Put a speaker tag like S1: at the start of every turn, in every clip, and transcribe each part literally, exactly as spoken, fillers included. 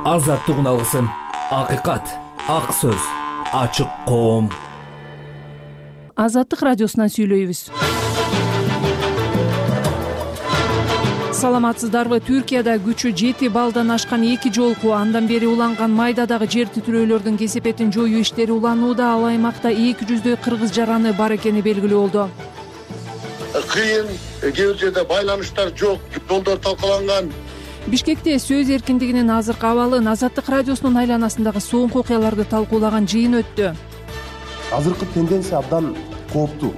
S1: азаттыгын алгысың. Акыйкат, ак сөз, ачык коом.
S2: Азаттык радиосунан сүйлөйбүз. Саламатсыздарбы? Түркияда күчү жети баллдан ашкан эки жолку андан бери уланган майдадагы жер титирөөлөрдүн кесепетин жоюу иштери уланууда. Ал аймакта эки жүздөй кыргыз жараны бар экени белгилүү болду.
S3: Кыйын, кээ бир жерде байланыштар жок, жолдор талкаланган.
S2: Бишкекте сөз эркиндигинин азыркы абалын Азаттык радиосунун айланасындагы соңку окуяларды талкуулаган жыйын өттү.
S4: Азыркы тенденция абдан кооптуу.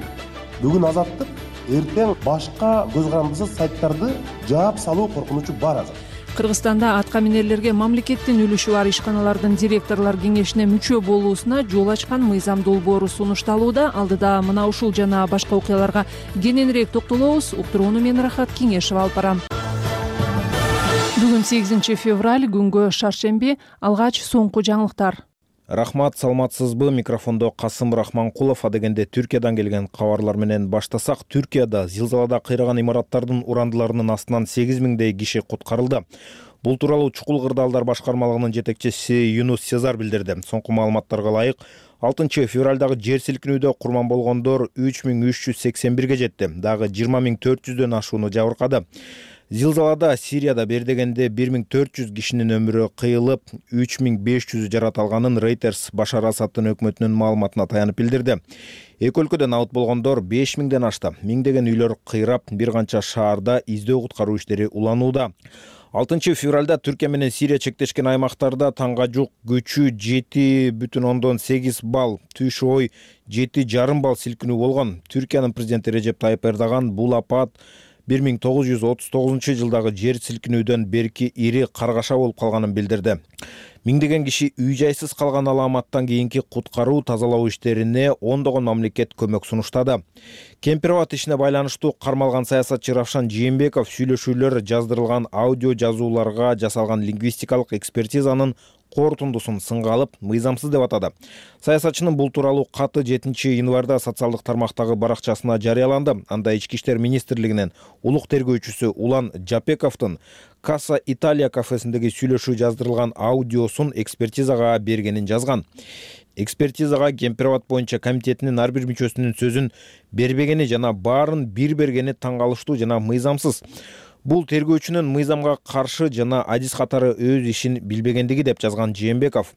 S4: Бүгүн Азаттык, эртең башка көз карандысыз сайттарды жаап салуу коркунучу бар азыр.
S2: Кыргызстанда атка минерлерге мамлекеттин үлүшү бар ишканалардын директорлор кеңешине мүчө болуусуна жол ачкан мыйзам долбоору сунушталууда. Алдыда мына ушул жана башка окуяларга кененирээк токтолобуз. Уктурууну мен Рахат Кеңешева алып барам. Бүгүн сегизинчи февраль, күнгө шаршемби. Алгач соңку жаңылыктар.
S5: Рахмат, саламатсызбы? Микрофондо Касым Рахманкулов. Адегенде Түркиядан келген кабарлар менен баштасак, Түркияда зилзалада кыйраган имараттардын урандыларынын астынан сегиз миңдей киши куткарылды. Бул тууралуу Чукул Кырдаалдар башкармалыгынын жетекчиси Юнус Сезар билдирди. Соңку маалыматтарга ылайык, алтынчы февралдагы жер силкинүүдө курман болгондор үч миң үч жүз сексен бирге жетти. Дагы жыйырма миң төрт жүздөн ашууну жабыркады. Зилзалада Сирияда бир дегенде бир миң төрт жүз кишинин өмүрү кыйылып, үч миң беш жүзү жарат алганын Reuters Башар Асадтын өкмөтүнүн маалыматына таянып билдирди. Эки өлкөдө абат болгондор беш миңден ашты. Миңдеген үйлөр кыйрап, бир канча шаарда издөө куткаруу иштери уланууда. алтынчы февралда Түркия менен Сирия чектешкен аймактарда таңга жук күчү жети бүтүн ондон сегиз балл, түш ой жети жарым балл силкинүү болгон. Түркиянын президенти Режеп Тайып Эрдоган бул апат бир миң тогуз жүз отуз тогузунчу жылдагы жер силкинүүдөн берки ири каргаша болуп калганын билдирди. Миңдеген киши үй жайсыз калган аламаттан кийинки куткаруу тазалоо иштерине ондогон мамлекет көмөк сунуштады. Кемпир-абад ишине байланыштуу кармалган саясатчы Равшан Жээнбеков сүйлөшүүлөр жаздырылган аудио жазууларга жасалган лингвистикалык экспертизанын корутундусун сынга алып, мыйзамсыз деп атады. Саясатчынын бул тууралуу каты жетинчи январда социалдык тармактагы баракчасына жарыяланды. Анда Ички иштер министрлигинин улук тергөөчүсү Улан Жапековдун Касса Италия кафесиндеги сүйлөшүү жаздырылган аудиосун экспертизага бергенин жазган. Экспертизага Кемпир-абад боюнча комитетинин ар бир мүчөсүнүн сөзүн бербегени жана баарын бир бергени таң калыштуу жана мыйзамсыз. Бул тергөөчүнүн мыйзамга каршы жана адис катары өз ишин билбегендиги деп жазган Жээнбеков.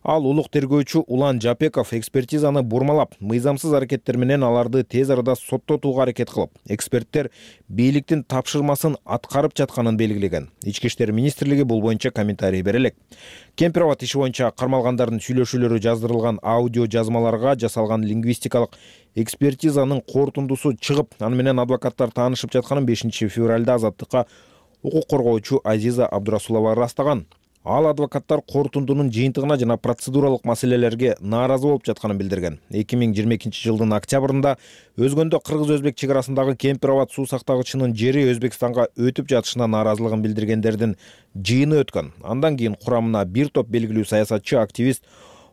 S5: Ал улук тергөөчү Улан Жапеков экспертизаны бурмалап, мыйзамсыз аракеттер менен аларды тез арада соттотууга аракет кылып, эксперттер бийликтин тапшырмасын аткарып жатканын белгилеген. Ички иштер министрлиги бул боюнча комментарий бере элек. Кемпир-абад иши боюнча кармалгандардын сүйлөшүүлөрү жаздырылган аудио жазмаларга жасалган лингвистикалык экспертизанын корутундусу чыгып, аны менен адвокаттар таанышып жатканын бешинчи февралда Азаттыкка укук коргоочу Азиза Абдурасулова ырастаган. Ал адвокаттар корутундунун жыйынтыгына жана процедуралык маселелерге нааразы болуп жатканын билдирген. эки миң жыйырма экинчи жылдын октябрында өзгөндө кыргыз-өзбек чек арасындагы Кемпир-абад суу сактагычынын жери Өзбекстанга өтүп жатышына нааразылыгын билдиргендердин жыйыны өткөн. Андан кийин курамына бир топ белгилүү саясатчы, активист,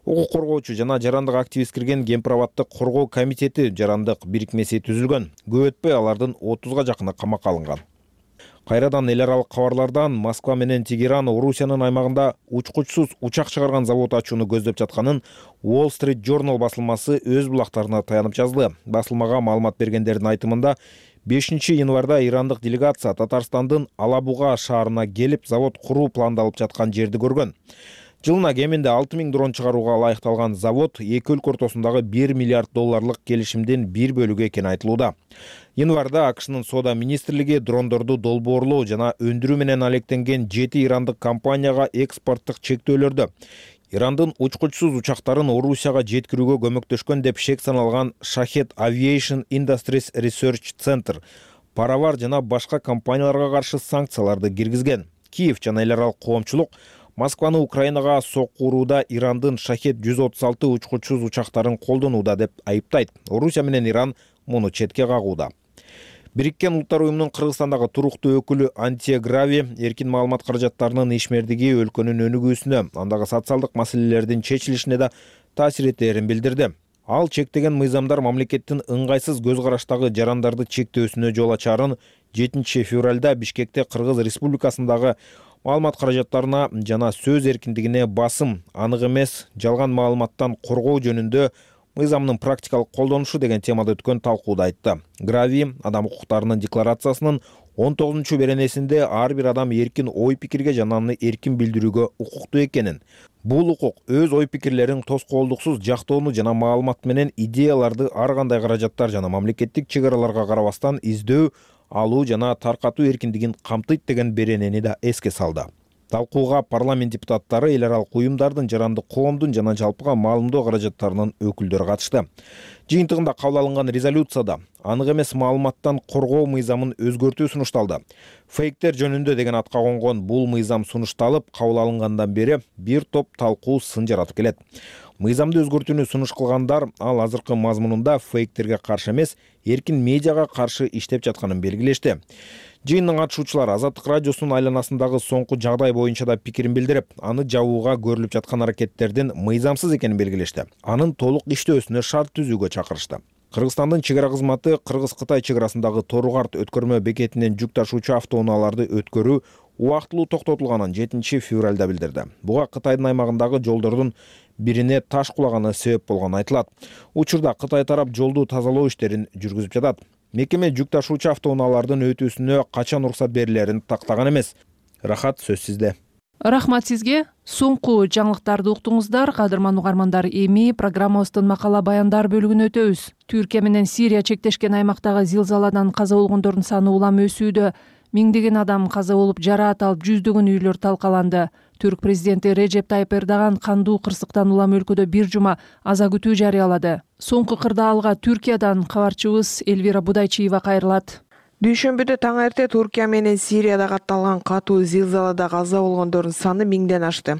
S5: укук коргоочу жана жарандык активист кирген Кемпир-абаддык коргоо комитети жарандык бирикмеси түзүлгөн. Көп өтпөй алардын отузга жакыны камакка алынган. Кайрадан эл аралык кабарлардан Москва менен Тегеран Орусиянын аймагында учкучсуз учак чыгарган завод ачууну көздөп жатканын Wall Street Journal басылмасы өз булактарына таянып жазды. Басылмага маалымат бергендердин айтымында бешинчи январда ирандык делегация Татарстандын Алабуга шаарына келип, завод куруу пландалып жаткан жерди көргөн. Жылына кеминде алты миң дрон чыгарууга ылайыкталган завод эки өлкө ортосундагы бир миллиард долларлык келишимдин бир бөлүгү экени айтылууда. Январда АКШнын соода министрлиги дрондорду долбоорлоо жана өндүрүү менен алектенген жети ирандык компанияга экспорттук чектөөлөрдү, Ирандын учкучсуз учактарын Орусияга жеткирүүгө көмөктөшкөн деп шек саналган Shahed Aviation Industries Research Center, Паравар жана башка компанияларга каршы санкцияларды киргизген. Киев жана эл аралык коомчулук Москваны Украинага соккурууда Ирандын Shahed жүз отуз алты учкучсуз учактарын колдонууда деп айыптайт. Орусия менен Иран муну четке кагууда. Бириккен Улуттар уюмунун Кыргызстандагы туруктуу өкүлү Антия Грави эркин маалымат каражаттарынын ишмердиги өлкөнүн өнүгүүсүнө, андагы социалдык маселелердин чечилишине да таасир этерин билдирди. Ал чектеген мыйзамдар мамлекеттин ыңгайсыз көз караштагы жарандарды чектөөсүнө жол ачарын жетинчи февралда Бишкекте Кыргыз Республикасындагы маалымат каражаттарына жана сөз эркиндигине басым, анык эмес жалган маалыматтан коргоо жөнүндө мыйзамдын практикалык колдонушу деген темада өткөн талкууда айтты. Грави адам укуктарынын декларациясынын он тогузунчу беренесинде ар бир адам эркин ой пикирге жана аны эркин билдирүүгө укуктуу экенин, бул укук өз ой пикирлерин тоскоолдуксуз жактоону жана маалымат менен идеяларды ар кандай каражаттар жана мамлекеттик чек араларга карабастан издөө, алуу жана таркатуу эркиндигин камтыйт деген беренени да эске салды. Талкууга парламент депутаттары, эл аралык уюмдардын, жарандык коомдун жана жалпыга маалымдоо каражаттарынын өкүлдөрү катышты. Жыйынтыгында кабыл алынган резолюцияда анык эмес маалыматтан коргоо мыйзамын өзгөртүү сунушталды. Фейктер жөнүндө деген атка конгон бул мыйзам сунушталып, кабыл алынгандан бери бир топ талкуу сын жаратып келет. Мыйзамды өзгөртүүнү сунуш кылгандар ал азыркы мазмунунда фейктерге каршы эмес, эркин медиага каршы иштеп жатканын белгилешти. Жыйындын катышуучулары Азаттык радиосунун айланасындагы соңку жагдай боюнча да пикирин билдирип, аны жабууга көрүлүп жаткан аракеттердин мыйзамсыз экенин белгилешти. Анын толук иштөөсүнө шарт түзүүгө чакырышты. Кыргызстандын чек ара кызматы Кыргыз-Кытай чек арасындагы Тору-Карт өткөрмө бекетинен жүк ташуучу автоунааларды өткөрүү убактылуу токтотулганын жетинчи февралда билдирди. Буга Кытайдын аймагындагы жолдордун бирине таш кулаганы себеп болгону айтылат. Учурда Кытай тарап жолду тазалоо иштерин жүргүзүп жатат. Мекеме жүк ташуучу автоунаалардын өтүүсүнө качан уруксат берилерин тактаган эмес. Рахат, сөз сизде.
S2: Рахмат сизге. Соңку жаңылыктарды уктуңуздар. Кадырман угармандар, эми программабыздын макала баяндар бөлүгүнө өтөбүз. Түркия менен Сирия чектешкен аймактагы зилзаладан каза болгондордун саны улам өсүүдө. Миңдеген адам каза болуп, жараат алып, жүздөгөн үйлөр талкаланды. Түрк президенти Режеп Тайып Эрдоган кандуу кырсыктан улам өлкөдө бир жума аза күтүү жарыялады. Соңку кырдаалга Түркиядан кабарчыбыз Элвира Будайчиева кайрылат.
S6: Дүйшөмбүдө таң эрте Түркия менен Сирияда катталган катуу зилзалада каза болгондордун саны миңден ашты.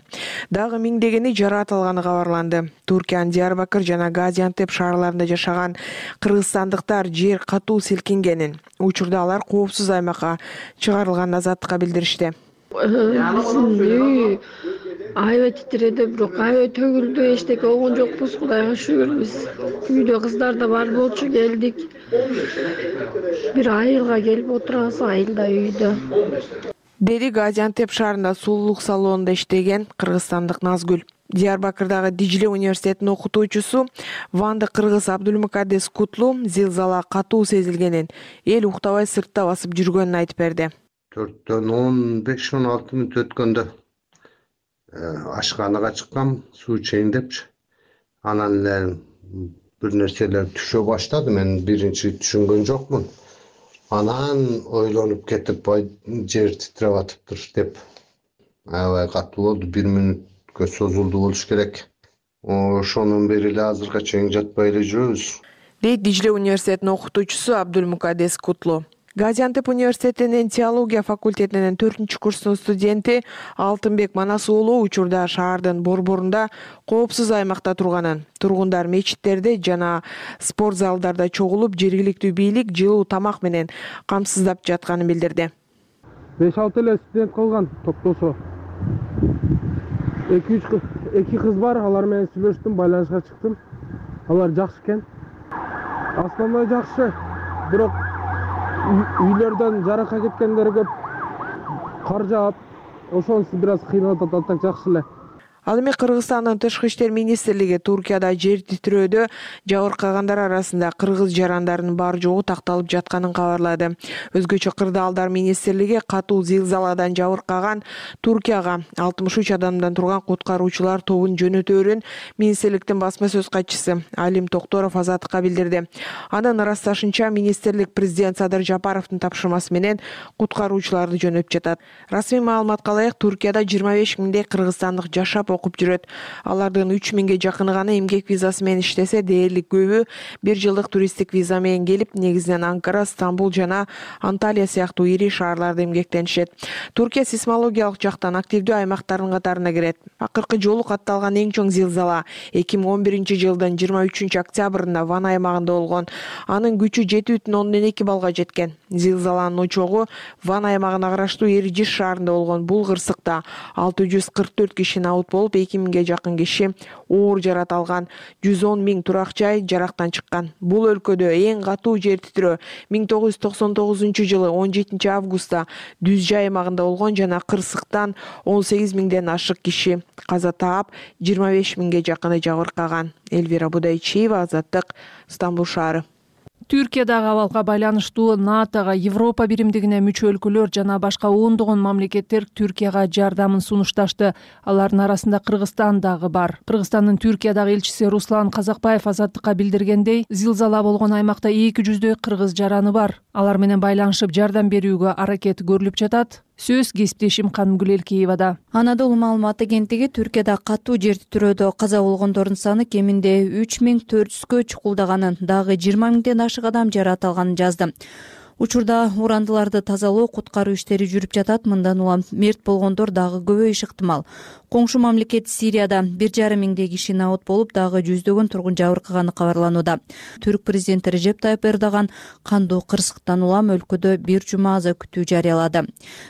S6: Дагы миңдегени жараат алганы кабарланды. Түркиянын Диярбакыр жана Газиантеп шаарларында жашаган кыргызстандыктар жер катуу силкингенин, учурда алар коопсуз аймакка чыгарылганын азаттыкка билдиришти.
S7: Биздин үй аябай титиреди, бирок аябай төгүлдү, эчтеке болгон жокпуз, Кудайга шүгүр. Биз үйдө кыздар да бар болчу, келдик. Бир айылга келип отурабыз, айылда үйдө.
S6: Деди Газиантеп шаарында сулуулук салонунда иштеген кыргызстандык Назгүл. Диярбакырдагы Дижиле университетинин окутуучусу Ванда Кыргыз Абдулмукаддес Кутлу зилзала катуу сезилгенин, эл уктабай сыртта басып жүргөнүн айтып берди.
S8: төрттөн он беш он алты мүнөт өткөндө ашканага чыккам, суу ичейин депчи. Анан эле бир нерселер түшө баштады. Мен биринчи түшүнгөн жокмун. Анан ойлонуп кетип, жер титиреп атыптыр деп. Аябай катуу болду. Бир мүнөткө созулду болуш керек. Ошонун бери эле азыркыга чейин жатпай эле жүрөбүз.
S6: Дейт Дижиле университетинин окутуучусу Абдулмукаддес Кутлу. Газиантеп университетинин теология факультетинин төртүнчү курсунун студенти Алтынбек Манас уулу учурда шаардын борборунда коопсуз аймакта турганын, тургундар мечиттерде жана спорт залдарда чогулуп, жергиликтүү бийлик жылуу тамак менен камсыздап жатканын билдирди.
S9: беш алты эле студент калган топтошо. эки үч эки кыз бар, алар менен сүйлөштүм, байланышка чыктым. Алар жакшы экен. Основной жакшы, бирок үйлөрдөн жаракка кеткендер көп, кар жаап, ошонусу бир аз кыйнап атат, так жакшы эле.
S6: Ал эми Кыргызстандын Тышкы иштер министрлиги Туркияда жер титирөөдө жабыркагандар арасында кыргыз жарандарынын бар жогу такталып жатканын кабарлады. Өзгөчө Кырдаалдар министрлиги катуу зилзаладан жабыркаган Туркияга алтымыш үч адамдан турган куткаруучулар тобун жөнөтөөрүн министрликтин басма сөз катчысы Алим Токторов азаттыкка билдирди. Анын ырасташынча министрлик президент Садыр Жапаровдун тапшырмасы менен куткаруучуларды жөнөтүп жатат. Расмий маалыматка ылайык Туркияда жыйырма беш миңдей кыргызстандык жашап окуп жүрөт. Алардын үч миңге жакыны гана эмгек визасы менен иштесе, дээрлик көбү бир жылдык туристтик виза менен келип, негизинен Анкара, Стамбул жана Анталия сыяктуу ири шаарларда эмгектенишет. Туркия сейсмологиялык жактан активдүү аймактардын катарына кирет. Акыркы жолу катталган эң чоң зилзала эки миң он биринчи жылдын жыйырма үчүнчү октябрында Ван аймагында болгон. Анын күчү жети бүтүн ондон эки баллга жеткен. Зилзаланын очогу Ван аймагына караштуу Эрижиш шаарында болгон. Бул кырсыкта алты жүз кырк төрт киши абут болуп, болуп, эки миңге жакын киши оор жарат алган, жүз он миң турак жай жарактан чыккан. Бул өлкөдө эң катуу жер титирөө миң тогуз жүз токсон тогузунчу жылы он жетинчи августта Дүз жай аймагында болгон жана кырсыктан он сегиз миңден ашык киши каза таап, жыйырма беш миңге жакыны жабыркаган. Элвира Будайчиева, Азаттык, Стамбул шаары.
S2: Түркиядагы абалга байланыштуу НАТОга, Европа биримдигине мүчө өлкөлөр жана башка ондогон мамлекеттер Түркияга жардамын сунушташты. Алардын арасында Кыргызстан дагы бар. Кыргызстандын Түркиядагы элчиси Руслан Казакбаев Азаттыкка билдиргендей, зилзала болгон аймакта эки жүздөй кыргыз жараны бар. Алар менен байланышып жардам берүүгө аракет көрүлүп жатат. Сөз кесиптешим Канымгүл Элкеевада.
S10: Анадолу маалымат агенттиги Түркияда катуу жер титирөөдө каза болгондордун саны кеминде үч миң төрт жүзгө чукулдаганын, дагы жыйырма миңден ашык адам жарат алганын жазды. Учурда урандыларды тазалоо, куткаруу иштери жүрүп жатат. Мындан улам мерт болгондор дагы көбөйүшү ыктымал. Коңшу мамлекет Сирияда бир жарым миңдей киши набыт болуп, дагы жүздөгөн тургун жабыркаганы кабарланууда. Түрк президенти Режеп Тайып Эрдоган кандуу кырсыктан улам өлкөдө бир жума аза күтүү жарыялады.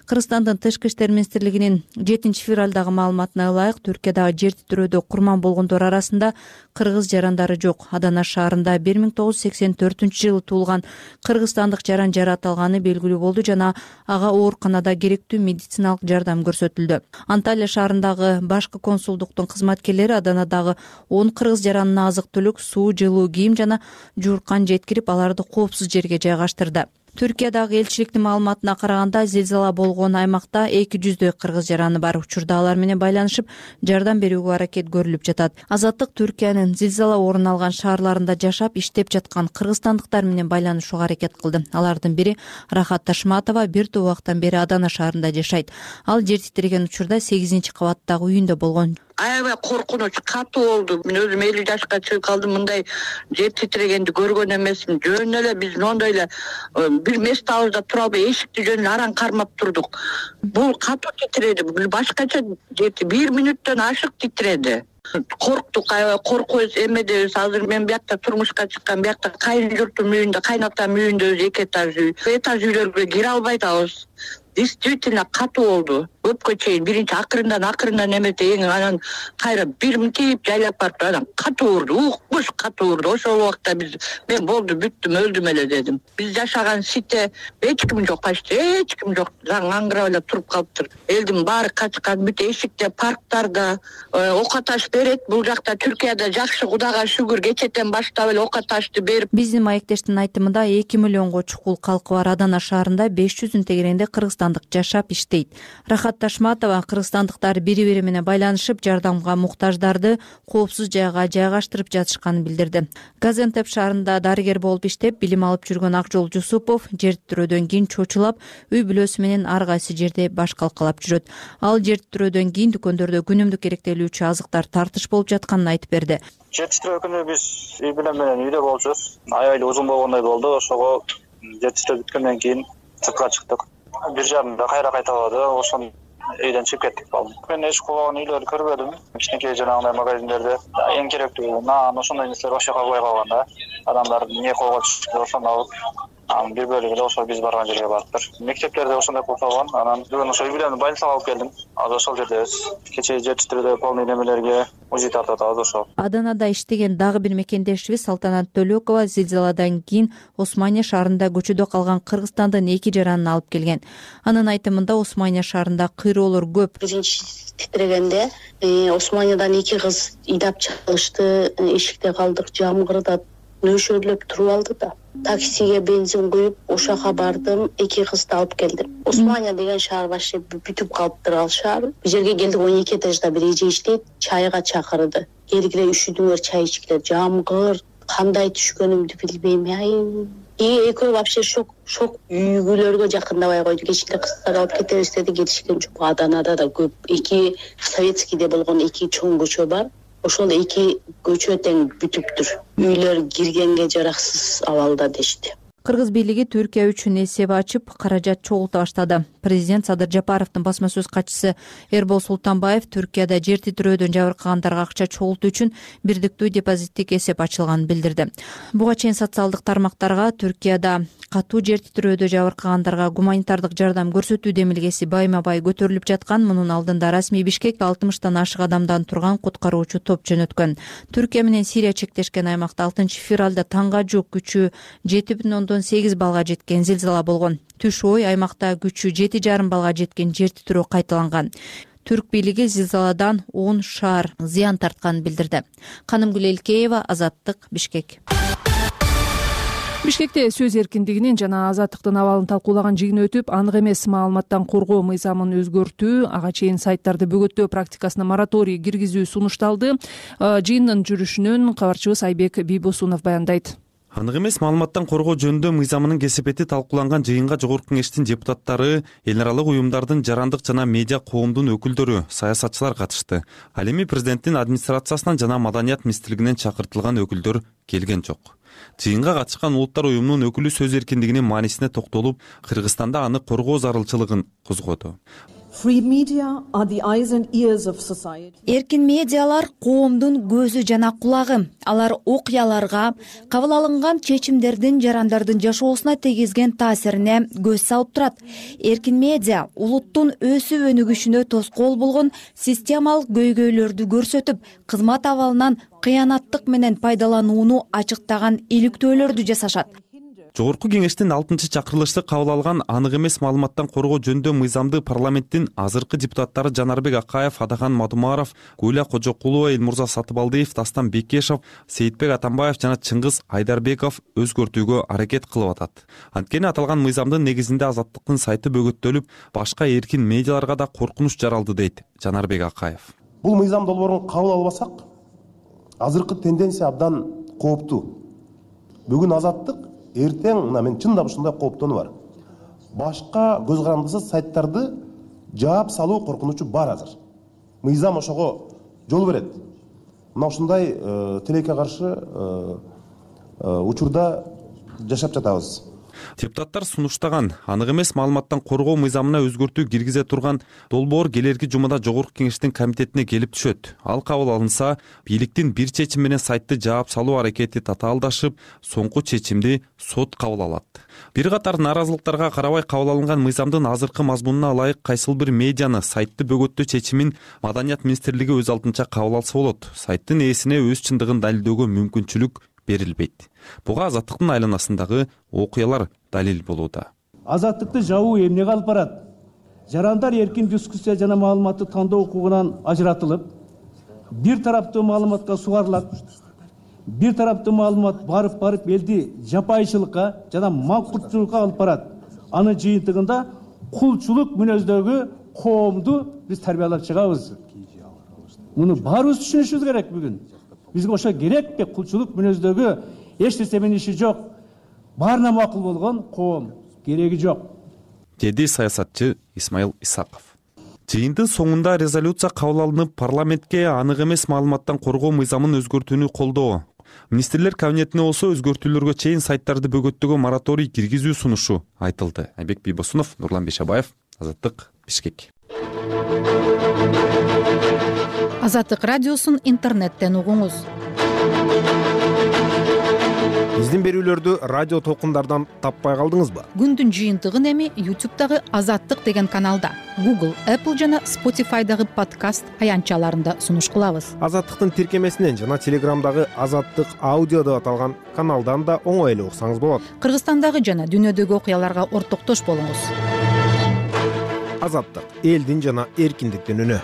S10: Кыргызстандын Тышкы иштер министрлигинин жетинчи февралдагы маалыматына ылайык, Түркиядагы жер титирөөдө курман болгондор арасында кыргыз жарандары жок. Адана шаарында бир миң тогуз жүз сексен төртүнчү жылы туулган кыргызстандык жаран жарат алганы белгилүү болду жана ага ооруканада керектүү медициналык жардам көрсөтүлдү. Анталия шаарындагы башкы консулдуктун кызматкерлери Аданадагы он кыргыз жаранына азык-түлүк, суу, жылуу кийим жана жууркан жеткирип, аларды коопсуз жерге жайгаштырды. Түркиядагы элчиликтин маалыматына караганда, зилзала болгон аймакта эки жүздөй кыргыз жараны бар. Учурда алар менен байланышып, жардам берүүгө аракет көрүлүп жатат. Азаттык Түркиянын зилзала орун алган шаарларында жашап, иштеп жаткан кыргызстандыктар менен байланышууга аракет кылды. Алардын бири Рахат Ташматова бир топ убакыттан бери Адана шаарында жашайт. Ал жер титиреген учурда сегизинчи кабаттагы үйүндө болгон.
S11: Аябай коркунуч, катуу болду. Мен өзүм элүү жашка чыгып калдым, мындай жер титирегенди көргөн эмесмин. Жөн эле биз мондой эле бир местабызда тура албай эшикти жөн араң кармап турдук. Бул катуу титиреди, бул башкача жети бир мүнөттөн ашык титиреди. Корктук, аябай коркубуз, эмедебиз. Азыр мен биякта турмушка чыккан, биякта кайын журтум үйүндө, кайнатам үйүндө өзү эки этаж үй. Этаж үйлөргө кире албай атабыз. Действительно катуу болду. Өпкө чейин биринчи акырындан акырындан эмете эң анан кайра бир мынтип жайлап барып анан катуу урду, укмуш катуу урду. Ошол убакта биз мен болду, бүттүм, өлдүм эле дедим. Биз жашаган сите эч ким жок, почти эч ким жок. Заң аңгырап эле туруп калыптыр. Элдин баары качкан, бүт эшикте, парктарда ок аташ берет. Бул жакта Түркияда жакшы, Кудайга шүгүр, кечетен баштап эле ок аташты берип.
S10: Биздин маектештин айтымында эки миллионго чукул калкы бар Адана шаарында беш жүздүн тегерегинде кыргызстандык жашап иштейт. Рахат Ташматова кыргызстандыктар бири-бири менен байланышып, жардамга муктаждарды коопсуз жайга жайгаштырып жатышканын билдирди. Газентеп шаарында дарыгер болуп иштеп, билим алып жүргөн Акжол Жусупов жер титирөөдөн кийин чочулап, үй бүлөсү менен ар кайсы жерде баш калкалап жүрөт. Ал жер титирөөдөн кийин дүкөндөрдө күнүмдүк керектелүүчү азыктар тартыш болуп жатканын айтып берди.
S12: Жер титирөө күнү биз үй бүлөм менен үйдө болчубуз. Аябай узун болгондой болду. Ошого жер титирөө бүткөндөн кийин сыртка чыктык. Бир жарымда кайра кайталады. Ошон үйдөн чыгып кеттик балым. Мен эч кубаган үйлөрдү көрбөдүм. Кичинекей жанагындай магазиндерде эң керектүү нан, ошондой нерселер ошо жака кой калганда адамдар эмне колго түшүп ошону алып, анан бир бөлүгү ошо биз барган жерге барыптыр. Мектептерде ошондой кылып калган. Анан бүгүн ошо үй бүлөмдү больницага алып келдим. Азыр ошол жердебиз. Кечээ жер титирөөдө полный немелерге УЗИ тартып атабыз ошо.
S10: Аданада иштеген дагы бир мекендешибиз Салтанат Төлөкова зилзаладан кийин Османия шаарында көчөдө калган Кыргызстандын эки жаранын алып келген. Анын айтымында Османия шаарында кыйроолор көп.
S13: Биринчи титирегенде Османиядан эки кыз ыйдап чалышты, эшикте калдык, жамгырда нөшөрлөп туруп алды да. Таксиге бензин куюп, ошака бардым, эки кызды алып келдим. Османия деген шаар башы бүтүп калыптыр ал шаар. Бул жерге келдик, он эки этажда бир эже иштейт, чайга чакырды. Келгиле üşүдүңөр, чай ичкиле, жамгыр, кандай түшкөнүмдү билбейм. Ай, и экөө вообще шок, шок үйгүлөргө жакындабай койду. Кечинде кыздар алып кетебиз деди, кетишкен жок. Аданада да көп. Эки советскийде болгон эки чоң көчө бар. Ошол эки көчө тең бүтүптүр. Үйлөр киргенге жараксыз абалда дешти.
S10: Кыргыз бийлиги Түркия үчүн эсеп ачып, каражат чогулта баштады. Президент Садыр Жапаровдун басма сөз катчысы Эрбол Султанбаев Түркияда жер титирөөдөн жабыркагандарга акча чогултуу үчүн бирдиктүү депозиттик эсеп ачылганын билдирди. Буга чейин социалдык тармактарга Түркияда катуу жер титирөөдө жабыркагандарга гуманитардык жардам көрсөтүү демилгеси байма-бай көтөрүлүп жаткан. Мунун алдында расмий Бишкек алтымыштан ашык адамдан турган куткаруучу топ жөнөткөн. Түркия менен Сирия чектешкен аймакта алтынчы февралда таңга жук күчү жети бүтүн ондон сегиз баллга жеткен зилзала болгон. Түш ой аймакта күчү жети жарым баллга жеткен жер титирөө кайталанган. Түрк бийлиги зилзаладан он шаар зыян тартканын билдирди. Канымгүл Элкеева, Азаттык, Бишкек.
S2: Бишкекте сөз эркиндигинин жана азаттыктын абалын талкуулаган жыйын өтүп, анык эмес маалыматтан коргоо мыйзамын өзгөртүү, ага чейин сайттарды бөгөттөө практикасына мораторий киргизүү сунушталды. Жыйындын жүрүшүнөн кабарчыбыз Айбек Бийбосунов баяндайт.
S14: Анык эмес маалыматтан коргоо жөнүндө мыйзамынын кесепети талкууланган жыйынга Жогорку Кеңештин депутаттары, эл аралык уюмдардын, жарандык жана медиа коомдун өкүлдөрү, саясатчылар катышты. Ал эми президенттин администрациясынан жана Маданият министрлигинен чакыртылган өкүлдөр келген жок. Жыйынга катышкан улуттар уюмунун өкүлү сөз эркиндигинин маанисине токтолуп, Кыргызстанда аны коргоо зарылчылыгын козгоду.
S15: Эркин медиалар коомдун көзү жана кулагы. Алар окуяларга, кабыл алынган чечимдердин жарандардын жашоосуна тийгизген таасирине көз салып турат. Эркин медиа улуттун өсүп өнүгүшүнө тоскоол болгон системалык көйгөйлөрдү көрсөтүп, кызмат абалынан кыянаттык менен пайдаланууну ачыктаган иликтөөлөрдү жасашат.
S14: Жогорку Кеңештин алтынчы чакырылышты кабыл алган анык эмес маалыматтан коргоо жөнүндө мыйзамды парламенттин азыркы депутаттары Жанарбек Акаев, Адахан Мадумаров, Гуля Кожокулова, Элмурза Сатыбалдиев, Дастан Бекешев, Сейитбек Атамбаев жана Чыңгыз Айдарбеков өзгөртүүгө аракет кылып атат. Анткени аталган мыйзамдын негизинде азаттыктын сайты бөгөттөлүп, башка эркин медиаларга да коркунуч жаралды, дейт Жанарбек Акаев.
S4: Бул мыйзам долбоорун кабыл албасак, азыркы тенденция абдан кооптуу. Бүгүн азаттык, эртең мына мен чындап ушундай кооптонуу бар. Башка көз карандысыз сайттарды жаап салуу коркунучу бар азыр. Мыйзам ошого жол берет. Мына ушундай тилекке каршы учурда жашап жатабыз.
S14: Депутаттар сунуштаган анык эмес маалыматтан коргоо мыйзамына өзгөртүү киргизе турган долбоор келерки жумада Жогорку Кеңештин комитетине келип түшөт. Ал кабыл алынса, бийликтин бир чечим менен сайтты жаап салуу аракети татаалдашып, соңку чечимди сот кабыл алат. Бир катар нааразылыктарга карабай кабыл алынган мыйзамдын азыркы мазмунуна ылайык кайсыл бир медианы сайтты бөгөттөө чечимин Маданият министрлиги өз алдынча кабыл алса болот. Сайттын ээсине өз чындыгын далилдөөгө мүмкүнчүлүк берилбейт. Буга азаттыктын айланасындагы окуялар далил болууда.
S16: Азаттыкты жабуу эмнеге алып барат? Жарандар эркин дискуссия жана маалыматты тандоо укугунан ажыратылып, бир тараптуу маалыматка сугарылат. Бир тараптуу маалымат барып-барып элди жапайчылыкка жана маңкуртчулукка алып барат. Анын жыйынтыгында кулчулук мүнөздөгү коомду биз тарбиялап чыгабыз. Муну баарыбыз түшүнүшүбүз керек бүгүн. Бизге ошо керекпи? Кулчулук мүнөздөгү эч нерсе менен иши жок. Баарына макул болгон коом кереги жок,
S14: деди саясатчы Исмаил Исаков. Жыйындын соңунда резолюция кабыл алынып, парламентке анык эмес маалыматтан коргоо мыйзамын өзгөртүүнү колдоо. Министрлер кабинетине болсо өзгөртүүлөргө чейин сайттарды бөгөттөөгө мораторий киргизүү сунушу айтылды. Айбек Бийбосунов, Нурлан Бешабаев, Азаттык, Бишкек.
S17: Азаттык радиосун интернеттен угуңуз.
S5: Биздин берүүлөрдү радио толкундардан таппай калдыңызбы?
S17: Күндүн жыйынтыгын эми YouTube'дагы Азаттык деген каналда, Google, Apple жана Spotify'дагы подкаст аянтчаларында сунуш кылабыз.
S5: Азаттыктын тиркемесинен жана Телеграмдагы Азаттык аудио деп аталган каналдан да оңой эле уксаңыз болот.
S17: Кыргызстандагы жана дүйнөдөгү окуяларга ортоктош болуңуз.
S5: Азаттык — элдин жана эркиндиктин үнү.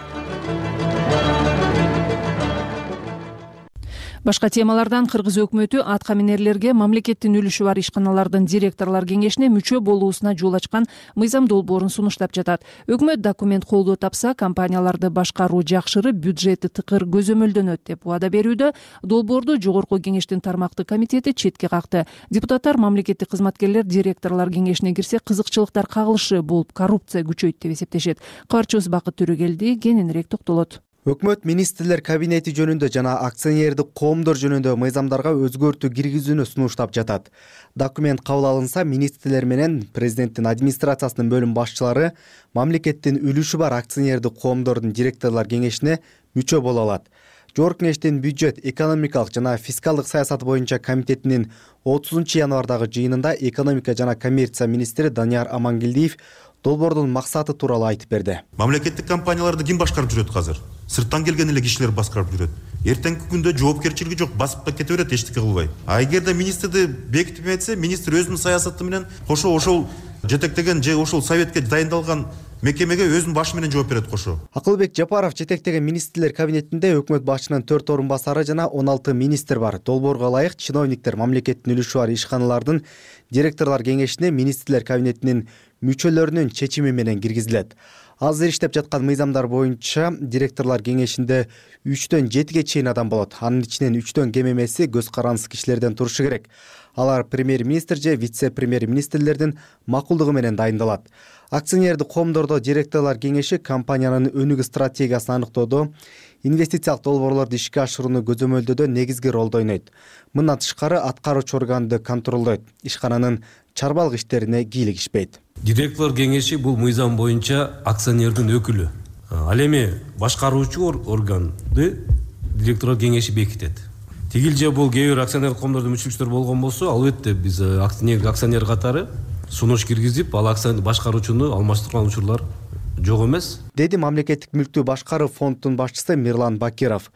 S2: Башка темалардан Кыргыз өкмөтү атка минерлерге мамлекеттин үлүшү бар ишканалардын директорлор кеңешине мүчө болуусуна жол ачкан мыйзам долбоорун сунуштап жатат. Өкмөт документ колдоо тапса, компанияларды башкаруу жакшырып, бюджети тыкыр көзөмөлдөнөт деп убада берүүдө. Долбоорду Жогорку Кеңештин тармактык комитети четке какты. Депутаттар мамлекеттик кызматкерлер директорлор кеңешине кирсе, кызыкчылыктар кагылышы болуп, коррупция күчөйт деп эсептешет. Кабарчыбыз Бакыт Төрөгелди кененирээк токтолот.
S18: Өкмөт министрлер кабинети жөнүндө жана акционердик коомдор жөнүндө мыйзамдарга өзгөртүү киргизүүнү сунуштап жатат. Документ кабыл алынса, министрлер менен президенттин администрациясынын бөлүм башчылары мамлекеттин үлүшү бар акционердик коомдордун директорлор кеңешине мүчө боло алат. Жогорку кеңештин бюджет, экономикалык жана фискалдык саясат боюнча комитетинин отузунчу январдагы жыйынында экономика жана коммерция министри Данияр Амангелдиев долбоордун максаты тууралуу айтып берди.
S19: Мамлекеттик компанияларды ким башкарып жүрөт азыр? Сырттан келген эле кишилер башкарып жүрөт. Эртеңки күндө жоопкерчилиги жок, басып да кете берет эчтеке кылбай. А эгерде министрди бекитип этсе, министр өзүнүн саясаты менен кошо ошол жетектеген же ошол советке дайындалган мекемеге өзүнүн башы менен жооп берет кошо.
S18: Акылбек Жапаров жетектеген министрлер кабинетинде өкмөт башчынын төрт орун басары жана он алты министр бар. Долбоорго ылайык чиновниктер мамлекеттин үлүшү бар ишканалардын директорлор кеңешине министрлер кабинетинин мүчөлөрүнүн чечими менен киргизилет. Азыр иштеп жаткан мыйзамдар боюнча директорлор кеңешинде үчтөн жетиге чейин адам болот. Анын ичинен үчтөн кем эмеси көз карандысы кишилерден турушу керек. Алар премьер-министр же вице-премьер-министрлердин макулдугу менен дайындалат. Акционердик коомдордо директорлор кеңеши компаниянын өнүгүү стратегиясын аныктоодо, инвестициялык долбоорлорду ишке ашырууну көзөмөлдөөдө негизги ролду ойнойт. Мындан тышкары аткаруучу органды контролдойт, ишкананын чарбалык иштерине кийлигишпейт.
S20: Директорлор кеңеши бул мыйзам боюнча акционердин өкүлү. Ал эми башкаруучу органды директорлор кеңеши бекитет. Тигил же бул кээ бир акционер коомдордун мүчөлүктөр болгон болсо, албетте биз акционер акционер катары сунуш киргизип, ал акционер башкаруучуну алмаштырган учурлар жок эмес,
S18: деди мамлекеттик мүлктү башкаруу фондунун башчысы Мирлан Бакиров.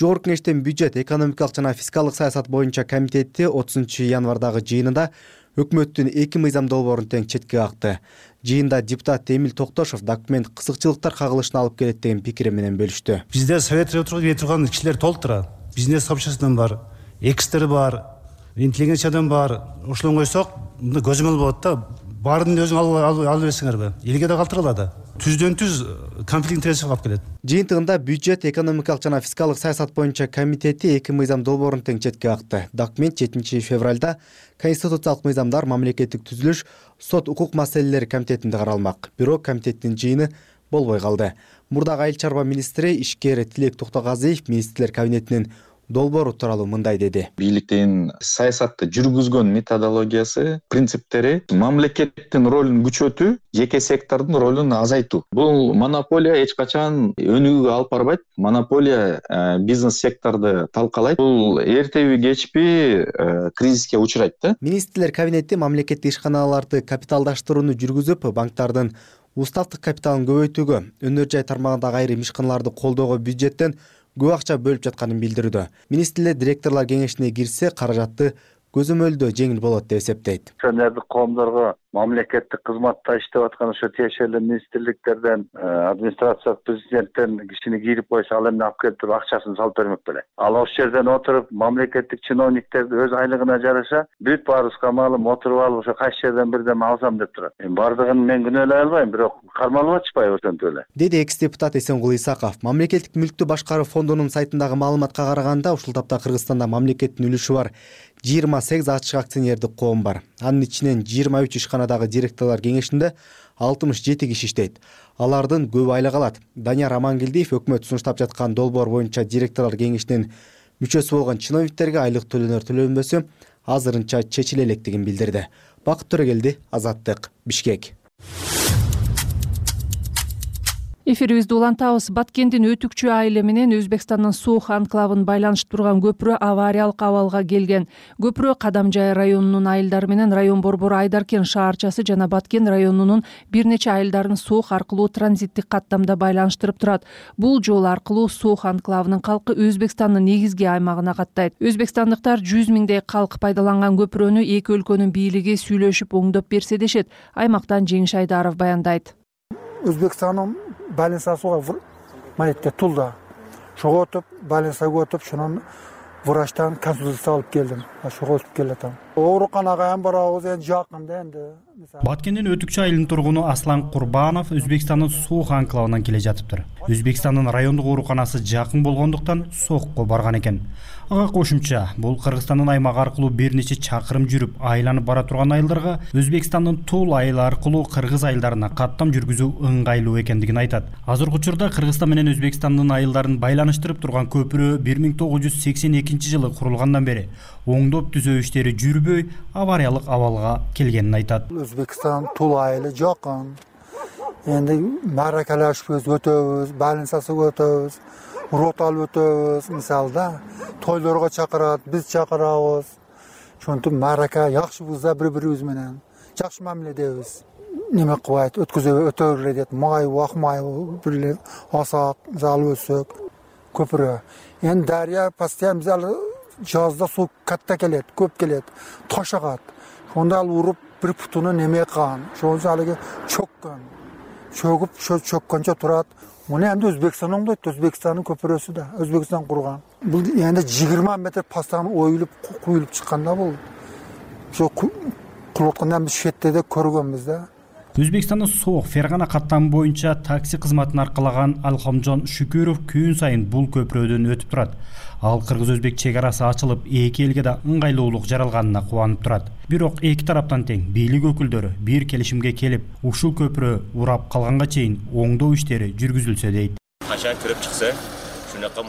S18: Жогорку кеңештин бюджет, экономикалык жана фискалдык саясат боюнча комитети отузунчу январдагы жыйынында өкмөттүн эки мыйзам долбоорун тең четке какты. Жыйында депутат Эмил Токтошов документ кызыкчылыктар кагылышына алып келет деген пикири менен бөлүштү.
S21: Бизде совет өтүргөн турган кишилер толтура. Бизнес сообществодан бар, экстер бар, интеллигенциядан бар. Ошолон койсок, мында көзөмөл болот да. Баарын өзүң алып алып берсеңерби? Элге да калтырылат. Түздөн түз конфликт интереси калып келет.
S18: Жыйынтыгында бюджет, экономикалык жана фискалдык саясат боюнча комитети эки мыйзам долбоорун тең четке какты. Документ жетинчи февралда конституциялык мыйзамдар, мамлекеттик түзүлүш, сот укук маселелери комитетинде каралмак. Бирок комитеттин жыйыны болбой калды. Мурдагы айыл чарба министри ишкер Тилек Токтогазиев министрлер кабинетинин долбоору тууралуу мындай деди.
S22: Бийликтин саясатты жүргүзгөн методологиясы, принциптери мамлекеттин ролун күчөтүү, жеке сектордун ролун азайтуу. Бул монополия эч качан өнүгүүгө алып барбайт. Монополия э, бизнес секторду талкалайт. Бул эртеби кечпи э, кризиске учурайт да.
S18: Министрлер кабинети мамлекеттик ишканаларды капиталдаштырууну жүргүзүп, банктардын уставдык капиталын көбөйтүүгө, өнөр жай тармагындагы айрым ишканаларды колдоого бюджеттен көп акча бөлүп жатканын билдирүүдө. Министрлер директорлор кеңешине кирсе, каражатты көзөмөлдөө жеңил болот деп эсептейт.
S23: Акционердик коомдорго мамлекеттик кызматта иштеп аткан ошо тиешелүү министрликтерден, администрация президенттен кишини кирип койсо, ал эмне алып келип туруп акчасын салып бермек беле. Ал ошол жерден отуруп мамлекеттик чиновниктерди өз айлыгына жараша бүт баарыбызга маалым отуруп алып ошо кайсы жерден бирдеме алсам деп турат. Эми бардыгын мен күнөөлөй албайм, бирок кармалып атышпайбы ошентип эле.
S18: Деди экс депутат Эсенгул Исаков. Мамлекеттик мүлктү башкаруу фондунун сайтындагы маалыматка караганда, ушул тапта Кыргызстанда мамлекеттин үлүшү бар жыйырма сегиз ачык акционердик коом бар. Анын ичинен жыйырма үч ишканадагы директорлор кеңешинде алтымыш жети киши иштейт. Алардын көбү айлык алат. Данияр Амангелдиев өкмөт сунуштап жаткан долбоор боюнча директорлор кеңешинин мүчөсү болгон чиновниктерге айлык төлөнөр төлөнбөсү азырынча чечиле электигин билдирди. Бакыт Төрөгелди, Азаттык, Бишкек.
S2: Эфирибизди улантабыз. Баткендин Өтүкчү айылы менен Өзбекстандын Суух анклавын байланыштырып турган көпүрө авариялык абалга келген. Көпүрө Кадамжай районунун айылдары менен район борбору Айдаркен шаарчасы жана Баткен районунун бир нече айылдарын Суух аркылуу транзиттик каттамда байланыштырып турат. Бул жол аркылуу Суух анклавынын калкы Өзбекстандын негизги аймагына каттайт. Өзбекстандыктар жүз миңдей калк пайдаланган көпүрөнү эки өлкөнүн бийлиги сүйлөшүп оңдоп берсе дешет. Аймактан Жеңиш Айдаров баяндайт.
S24: Өзбекстанның байланысуға маретке тұлда. Шоға өтіп, байланысуға өтіп, шынан врачтан консультация алып келдім. Шоға өтіп келетім. ооруканага ham барабыз, энди жакын да энди.
S1: Баткендин Өтүкчү айылынын тургуну Аслан Курбанов Өзбекстандын Суух анклавынан келе жатыптыр. Өзбекстандын райондук ооруканасы жакын болгондуктан Соокко барган экен. Ага кошумча, бул Кыргызстандын аймагы аркылуу бир нече чакырым жүрүп айланып бара турган айылдарга Өзбекстандын Тул айылы аркылуу Кыргыз айылдарына каттам жүргүзүү ыңгайлуу экендигин айтат. Азыркы учурда Кыргызстан менен Өзбекстандын айылдарын байланыштырып турган көпүрө бир миң тогуз жүз сексен экинчи жылы курулгандан бери оңдоп түзөө иштери жүрбөй, авариялык абалга келгенин айтат.
S24: Өзбекстан Тул айылы жакын. Энди мааракалашып өтөбүз, байланышып өтөбүз. Урот алып өтөбүз, мисалда тойлорго чакырат, биз чакырабыз. Ошентип маарака жакшы бузда бири-бирибиз менен жакшы мамиледебиз. Неме кылбайт, өткөзө өтөбүрлө дейт. Май, вак май бирле асак, залып өтсөк көпүрө. Эми дария постоянно залы жазда суу катта келет, көп келет, таш агат. Ошондо ал уруп бир путуну неме кылган. Ошол залыгы чөккөн. Чөгүп, ошо чөккөнчө турат. Муну эми Өзбекстан оңдойт, Өзбекстандын көпүрөсү да, Өзбекстан курган. Бул эми жыйырма метр пастан оюлуп, куюлуп чыкканда бул. Ошо кулуткандан биз шетте да көргөнбүз да.
S1: Өзбекстандын Сооқ Фергана каттамы боюнча такси кызматын аркалаган Алхамжон Шүкүров күн сайын бул көпүрөдөн өтүп турат. Ал кыргыз-өзбек чек арасы ачылып, эки элге да ыңгайлуулук жаралганына кубанып турат. Бирок эки тараптан тең бийлик өкүлдөрү бир келишимге келип, ушул көпүрө урап калганга чейин оңдоо иштери жүргүзүлсө дейт.
S3: Качан кирип чыкса, шунака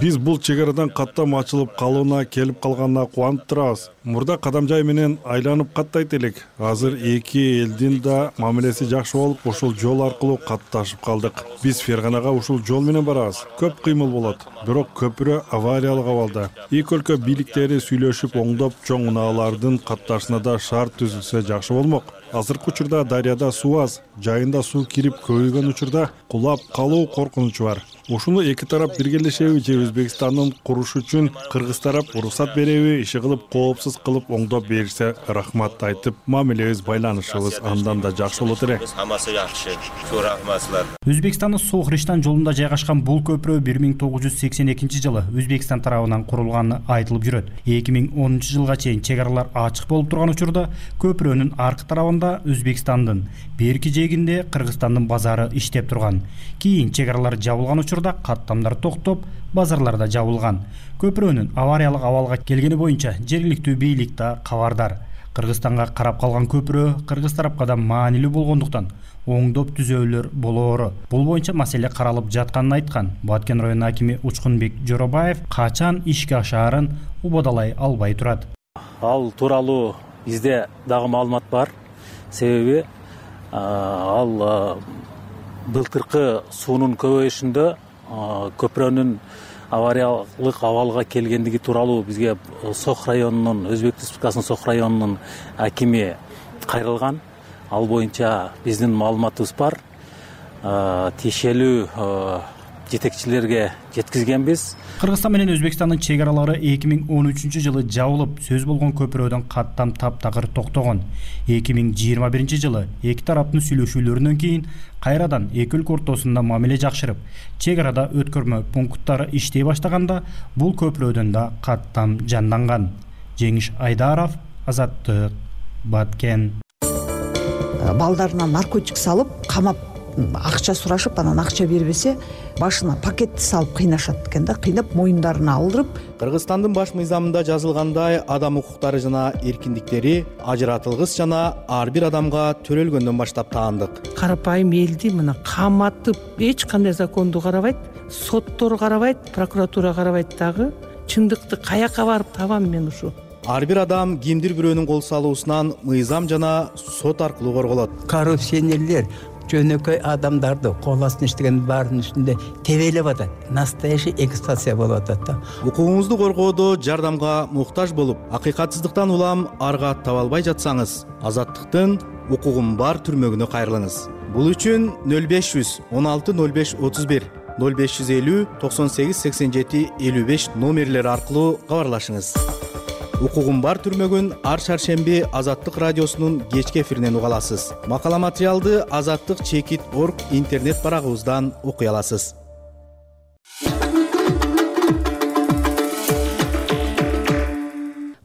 S7: биз бул чек арадан каттам ачылып калууна келип калганына кубанып турабыз. Мурда Кадамжай менен айланып каттайт элек. Азыр эки элдин да мамилеси жакшы болуп, ушул жол аркылуу катташып калдык. Биз Ферганага ушул жол менен барабыз. Көп кыймыл болот. Бирок көпүрө авариялык абалда. Эки өлкө бийликтери сүйлөшүп оңдоп, чоң унаалардын катташына да шарт түзүлсө жакшы болмок. Азыркы учурда дарыяда суу аз, жайында суу кирип көбөйгөн учурда кулап калуу коркунучу бар. Ушуну эки тарап биргелешеби же Өзбекстандын куруш үчүн Кыргыз тарап уруксат береби, иши кылып коопсуз кылып оңдоп берсе рахмат айтып, мамилебиз байланышыбыз андан да жакшы болот эле.
S3: Хамасы жакшы. Чоң рахматлар.
S1: Өзбекстандын Сооқ-Риштан жолунда жайгашкан бул көпүрө бир миң тогуз жүз сексен экинчи жылы Өзбекстан тарабынан курулганы айтылып жүрөт. эки миң онунчу жылга чейин чек аралар ачык болуп турган учурда көпүрөнүн аркы тарабында Өзбекстандын, берки жээгинде Кыргызстандын базары иштеп турган. Кийин чек аралар жабылган учурда каттамдар токтоп, базарлар да жабылган. Көпүрөнүн авариялык абалга келгени боюнча жергиликтүү бийлик да кабардар. Кыргызстанга карап калган көпүрө Кыргыз тарапка да маанилүү болгондуктан оңдоп түзөөлөр болоору. Бул боюнча маселе каралып жатканын айткан Баткен районунун акими Учкунбек Жоробаев качан ишке ашаарын убадалай албай турат.
S8: Ал тууралуу бизде дагы маалымат бар. Себеби ал былтыркы суунун көбөйүшүндө көпүрөнүн авариялык абалга келгендиги тууралуу бизге Сооқ районунун, Өзбек Республикасынын Сооқ районунун акими кайрылган. Ал боюнча биздин маалыматыбыз бар. Тиешелүү жетекчилерге жеткизгенбиз.
S1: Кыргызстан менен Өзбекстандын чек аралары эки миң он үчүнчү жылы жабылып, сөз болгон көпүрөдөн каттам таптакыр токтогон. эки миң жыйырма биринчи жылы эки тараптын сүйлөшүүлөрүнөн кийин кайрадан эки өлкө ортосунда мамиле жакшырып, чек арада өткөрмө пункттары иштей баштаганда бул көпүрөдөн да каттам жанданган. Жеңиш Айдаров, Азаттык, Баткен.
S25: Балдарына наркотик салып, камап акча сурашып, анан акча бербесе, башына пакетти салып кыйнашат экен да, кыйнап моюндарына алдырып.
S18: Кыргызстандын баш мыйзамында жазылгандай, адам укуктары жана эркиндиктери ажыратылгыс жана ар бир адамга төрөлгөндөн баштап таандык.
S26: Карапайым элди мына каматып, эч кандай законду карабайт, соттор карабайт, прокуратура карабайт дагы. Чындыкты каяка барып табам мен ушу?
S18: Ар бир адам кимдир бирөөнүн кол салуусунан мыйзам жана сот аркылуу корголот.
S27: Коррупционерлер жөнөкөй адамдарды кол астына иштеген баардын үстүндө тебелеп атат. Настоящий эксплуатация болуп атат да.
S18: Укугуңузду коргоодо жардамга муктаж болуп, акыйкатсыздыктан улам арга таба албай жатсаңыз, Азаттыктын укугум бар түрмөгүнө кайрылыңыз. Бул үчүн нөл беш жүз он алты нөл беш отуз бир, нөл беш жүз элүү токсон сегиз сексен жети элүү беш номерлери аркылуу кабарлашыңыз. Укугум бар түрмөгүн ар шаршемби Азаттык радиосунун кечки эфиринен уга аласыз. Макала материалды азаттык чекит точка орг интернет барагыбыздан окуй аласыз.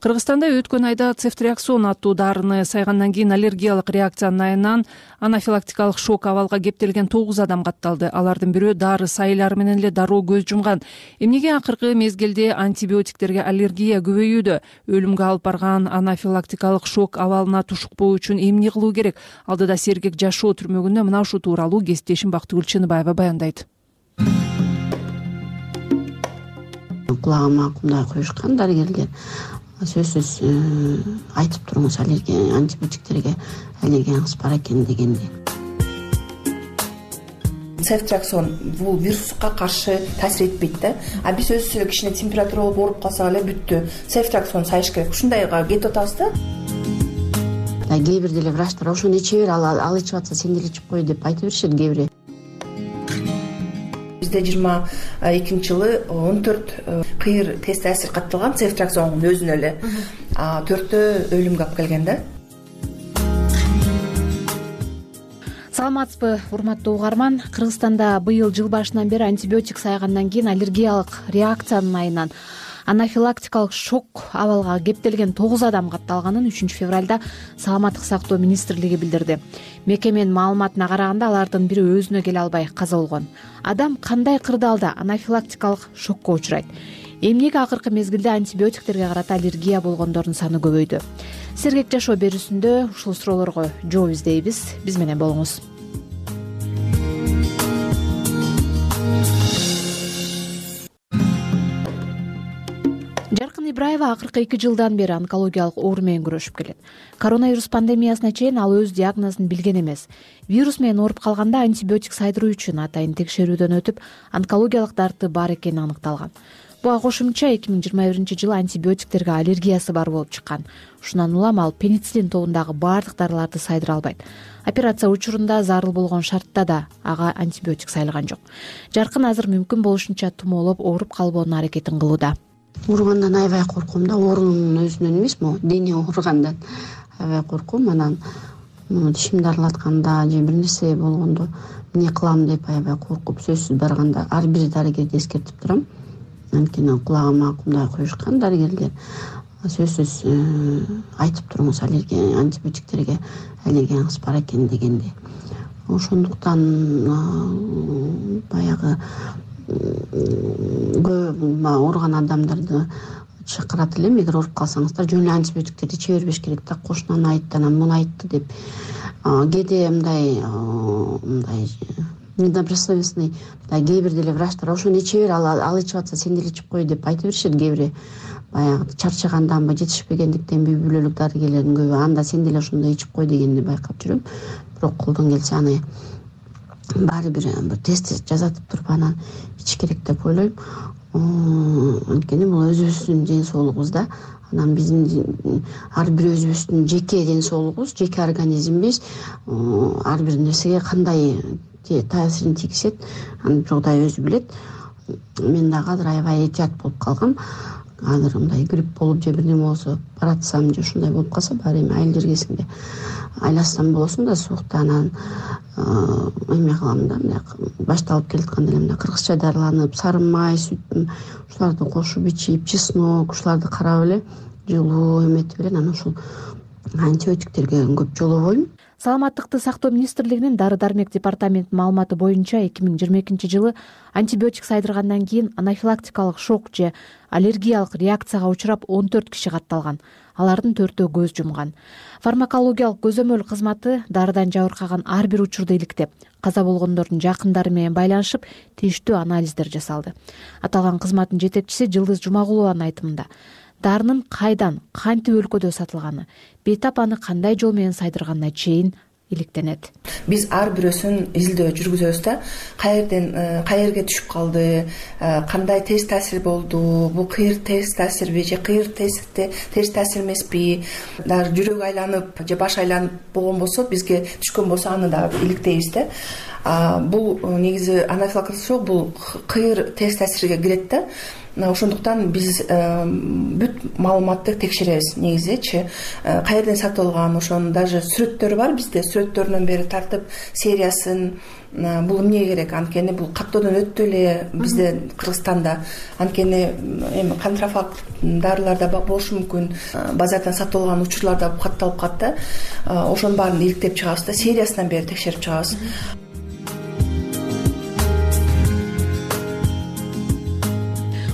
S2: Кыргызстанда өткөн айда цефтриаксон аттуу дарыны сайгандан кийин аллергиялык реакциянын айынан анафилактикалык шок абалга кептелген тогуз адам катталды. Алардын бирөө дары сайылары менен эле дароо көз жумган. Эмнеге акыркы мезгилде антибиотиктерге аллергия көбөйүүдө? Өлүмгө алып барган анафилактикалык шок абалына тушукпоо үчүн эмне кылуу керек? Алдыда Сергек жашоо түрмөгүндө мына ушул тууралуу кесиптешим Бактыгүл Чыныбаева баяндайт.
S6: Кулагыма кумдай коюшкан дарыгерлер. Сөзсүз айтып туруңуз, аллергия антибиотиктерге аллергияңыз бар экен дегенди.
S9: Цефтриаксон бул вируска каршы таасир этпейт да. А биз өзүбүз эле кичине температура болуп ооруп калсак эле бүттү. Цефтриаксон сайыш керек. Ушундайга кетип атабыз да.
S6: Кээ бир деле врачтар ошону иче бер, ал ичип атса сен деле ичип кой деп айтып беришет кээ бири.
S9: Бизде жыйырма экинчи жылы он төрт кыйыр тест таасир катталган цефтриаксондун өзүнө эле. төртөө өлүмгө алып келген да.
S10: Саламатсызбы, урматтуу угарман. Кыргызстанда быйыл жыл башынан бери антибиотик сайгандан кийин аллергиялык реакциянын айынан анафилактикалык шок абалга кептелген тогуз адам катталганын үчүнчү февралда Саламаттык сактоо министрлиги билдирди. Мекеменин маалыматына караганда алардын бири өзүнө келе албай каза болгон. Адам кандай кырдаалда анафилактикалык шокко учурайт? Эмнеге акыркы мезгилде антибиотиктерге карата аллергия болгондордун саны көбөйдү? Сергек жашоо берүүсүндө ушул суроолорго жооп издейбиз. Биз менен болуңуз. Жаркын Ибраева акыркы эки жылдан бери онкологиялык оору менен күрөшүп келет. Коронавирус пандемиясына чейин ал өз диагнозун билген эмес. Вирус менен ооруп калганда антибиотик сайдыруу үчүн атайын текшерүүдөн өтүп, онкологиялык дарты бар экени аныкталган. Буга кошумча эки миң жыйырма биринчи жылы антибиотиктерге аллергиясы бар болуп чыккан. Ушундан улам ал пенициллин тобундагы баардык дарыларды сайдыра албайт. Операция учурунда зарыл болгон шартта да ага антибиотик сайылган жок. Жаркын азыр мүмкүн болушунча тумоолоп ооруп калбоонун аракетин кылууда.
S6: Ооругандан аябай корком да, оорунун өзүнөн эмес, могу дене ооругандан аябай корком. Анан тишимди аралатканда же бир нерсе болгондо эмне кылам деп аябай коркуп, сөзсүз барганда ар бир дарыгерди эскертип турам. Анткени кулагыма кумдай коюшкан дарыгерлер. Сөзсүз айтып туруңуз, аллергия антибиотиктерге аллергияңыз бар экен дегенди. Ошондуктан баягы көп ооруган адамдарды чакырат элем. Эгер ооруп калсаңыздар, жөн эле антибиотиктерди иче бербеш керек да. Кошунан айтты, анан муну айтты деп. Кээде мындай мындай недобросовестный, кээ бир деле врачтар ошону иче бер, ал ичип атса сен деле ичип кой деп айтып беришет кээ бири. Баягы чарчаганданбы, жетишпегендиктенби үй бүлөлүк дарыгерлердин көбү анда сен деле ошондой ичип кой дегенди байкап жүрөм. Бирок колдон келсе аны баары бир бир тест жазатып туруп анан ич керек деп ойлойм. Анткени бул өзүбүздүн ден соолугубуз да. Анан биздин ар бир өзүбүздүн жеке ден соолугубуз, жеке организмибиз ар бир нерсеге кандай таасирин тийгизет, аны Жогдай өзү билет. Мен дагы азыр аябай этият болуп калгам. Азыр мындай грипп болуп же бир неме болсо баратсам же ушундай болуп калса, баары эми айыл жергесинде айласам болосун да суукта. Анан эме кылам да, мындай башталып келатканда эле мындай кыргызча дарыланып, сары май, сүт ушуларды кошуп ичип, чеснок ушуларды карап эле жылуу эметип эле анан ушул антибиотиктерге көп жолобойм.
S10: Саламаттыкты сактоо министрлигинин дары дармек департаментинин маалыматы боюнча эки миң жыйырма экинчи жылы антибиотик сайдыргандан кийин анафилактикалык шок же аллергиялык реакцияга учурап он төрт киши катталган. Алардын төртөө көз жумган. Фармакологиялык көзөмөл кызматы дарыдан жабыркаган ар бир учурду иликтеп, каза болгондордун жакындары менен байланышып, тийиштүү анализдер жасалды. Аталган кызматтын жетекчиси Жылдыз Жумагулованын айтымында дарынын кайдан, кантип өлкөдө сатылганы, бейтап аны кандай жол менен сайдырганына чейин иликтенет.
S9: Биз ар бирөөсүн изилдөө жүргүзөбүз да. Каерден каерге түшүп калды, кандай терс таасир болду, бул кыйыр терс таасирби же кыйыр терс таасир эмеспи, дагы жүрөк айланып же баш айланып болгон болсо, бизге түшкөн болсо аны дагы иликтейбиз да. Бул негизи анафилактикалык шок бул кыйыр терс таасирге кирет да. Ошондуктан биз бүт маалыматты текшеребиз негизичи. Каерден сатылган, ошонун даже сүрөттөрү бар бизде. Сүрөттөрүнөн бери тартып сериясын, бул эмне керек, анткени бул каттоодон өттү эле бизде Кыргызстанда, анткени эми контрафакт дарылар да болушу мүмкүн, базардан сатып алган учурлар да катталып калат да, ошонун баарын иликтеп чыгабыз да, сериясынан бери текшерип чыгабыз.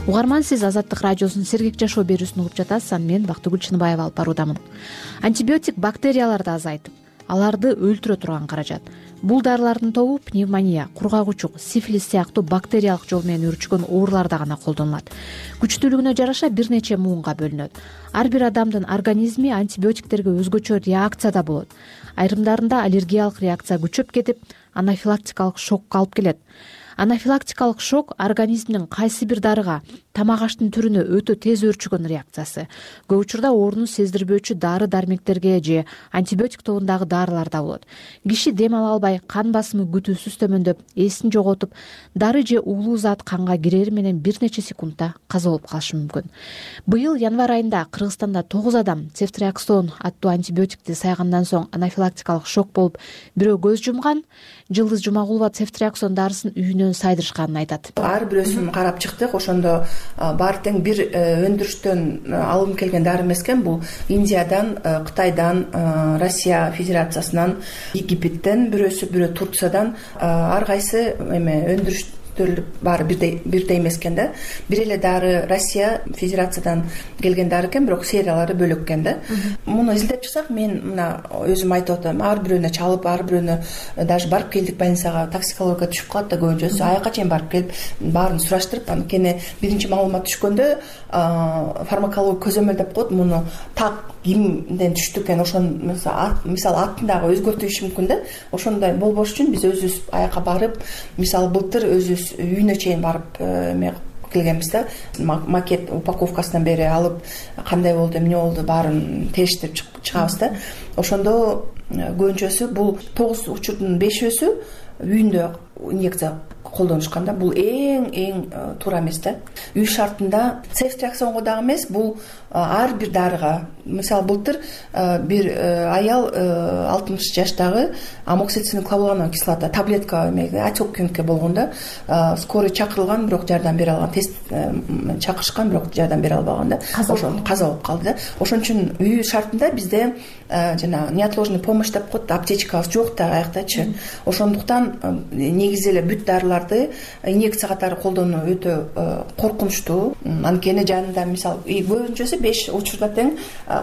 S10: Угарман, сиз Азаттык радиосунун Сергек жашоо берүүсүн угуп жатасыз. Аны мен Бактыгүл Чыныбаева алып баруудамын. Антибиотик бактерияларды азайтып, аларды өлтүрө турган каражат. Бул дарылардын тобу пневмония, кургагучук, сифилис сыяктуу бактериялык жол менен өрчүгөн ооруларда гана колдонулат. Күчтүүлүгүнө жараша бир нече муунга бөлүнөт. Ар бир адамдын организми антибиотиктерге өзгөчө реакцияда болот. Айрымдарында аллергиялык реакция күчөп кетип, анафилактикалык шокко алып келет. Анафилактикалык шок организмдин кайсы бир дарыга, тамак аштын түрүнө өтө тез өрчүгөн реакциясы. Көп учурда ооруну сездирбөөчү дары дармектерге же антибиотик тобундагы дарыларда болот. Киши дем ала албай, кан басымы күтүүсүз төмөндөп, эсин жоготуп, дары же уулуу зат канга кирери менен бир нече секундта каза болуп калышы мүмкүн. Быйыл январь айында Кыргызстанда тогуз адам цефтриаксон аттуу антибиотикти сайгандан соң анафилактикалык шок болуп, бирөө көз жумган. Жылдыз Жумагулова цефтриаксон дарысын үйүнөн сайдырышканын айтат.
S9: Ар бирөөсүн карап чыктык. Ошондо баары тең бир өндүрүштөн алынып келген дары эмес экен. Бул Индиядан, Кытайдан, Россия Федерациясынан, Египеттен, бирөөсү бирөө Турциядан, ар кайсы эме өндүрүш баары бирдей бирдей эмес экен да. Бир эле дары Россия Федерациядан келген дары экен, бирок сериялары бөлөк экен да. Муну изилдеп чыксак, мен мына өзүм айтып атам, ар бирөөнө чалып, ар бирөөнө даже барып келдик больницага, токсикология түшүп калат да көбүнчөсү. Аяка чейин барып келип, баарын сураштырып, анткени биринчи маалымат түшкөндө фармаколог көзөмөлдөп коет, муну так кимден түштү экен, ошон мисалы атын дагы өзгөртүшү мүмкүн да. Ошондой болбош үчүн биз өзүбүз аяка барып, мисалы былтыр өзүбүз үйүнө чейин барып эме келгенбиз да, макет упаковкасынан бери алып, кандай болду, эмне болду, баарын териштирип чыгабыз да. Ошондо көбүнчөсү бул тогуз учурдун бешөөсү үйүндө инъекция колдонушкан да. Бул эң эң туура эмес да. Үй шартында цефтриаксонго дагы эмес, бул ар бир дарыга. Мисалы былтыр бир аял алтымыш жаштагы амоксициллин клавулановая кислота таблетка эмеге отек болгон да. Скорый чакырылган, бирок жардам бере алган, тест чакырышкан, бирок жардам бере албаган да. Ошон каза болуп калды да. Ошон үчүн үй шартында бизде жана неотложный помощь деп коет, аптечкабыз жок да аяктачы. Ошондуктан негизи эле бүт дарыларды инъекция катары колдонуу өтө коркунучтуу. Анткени жанында мисалы көбүнчөсү беш учурда тең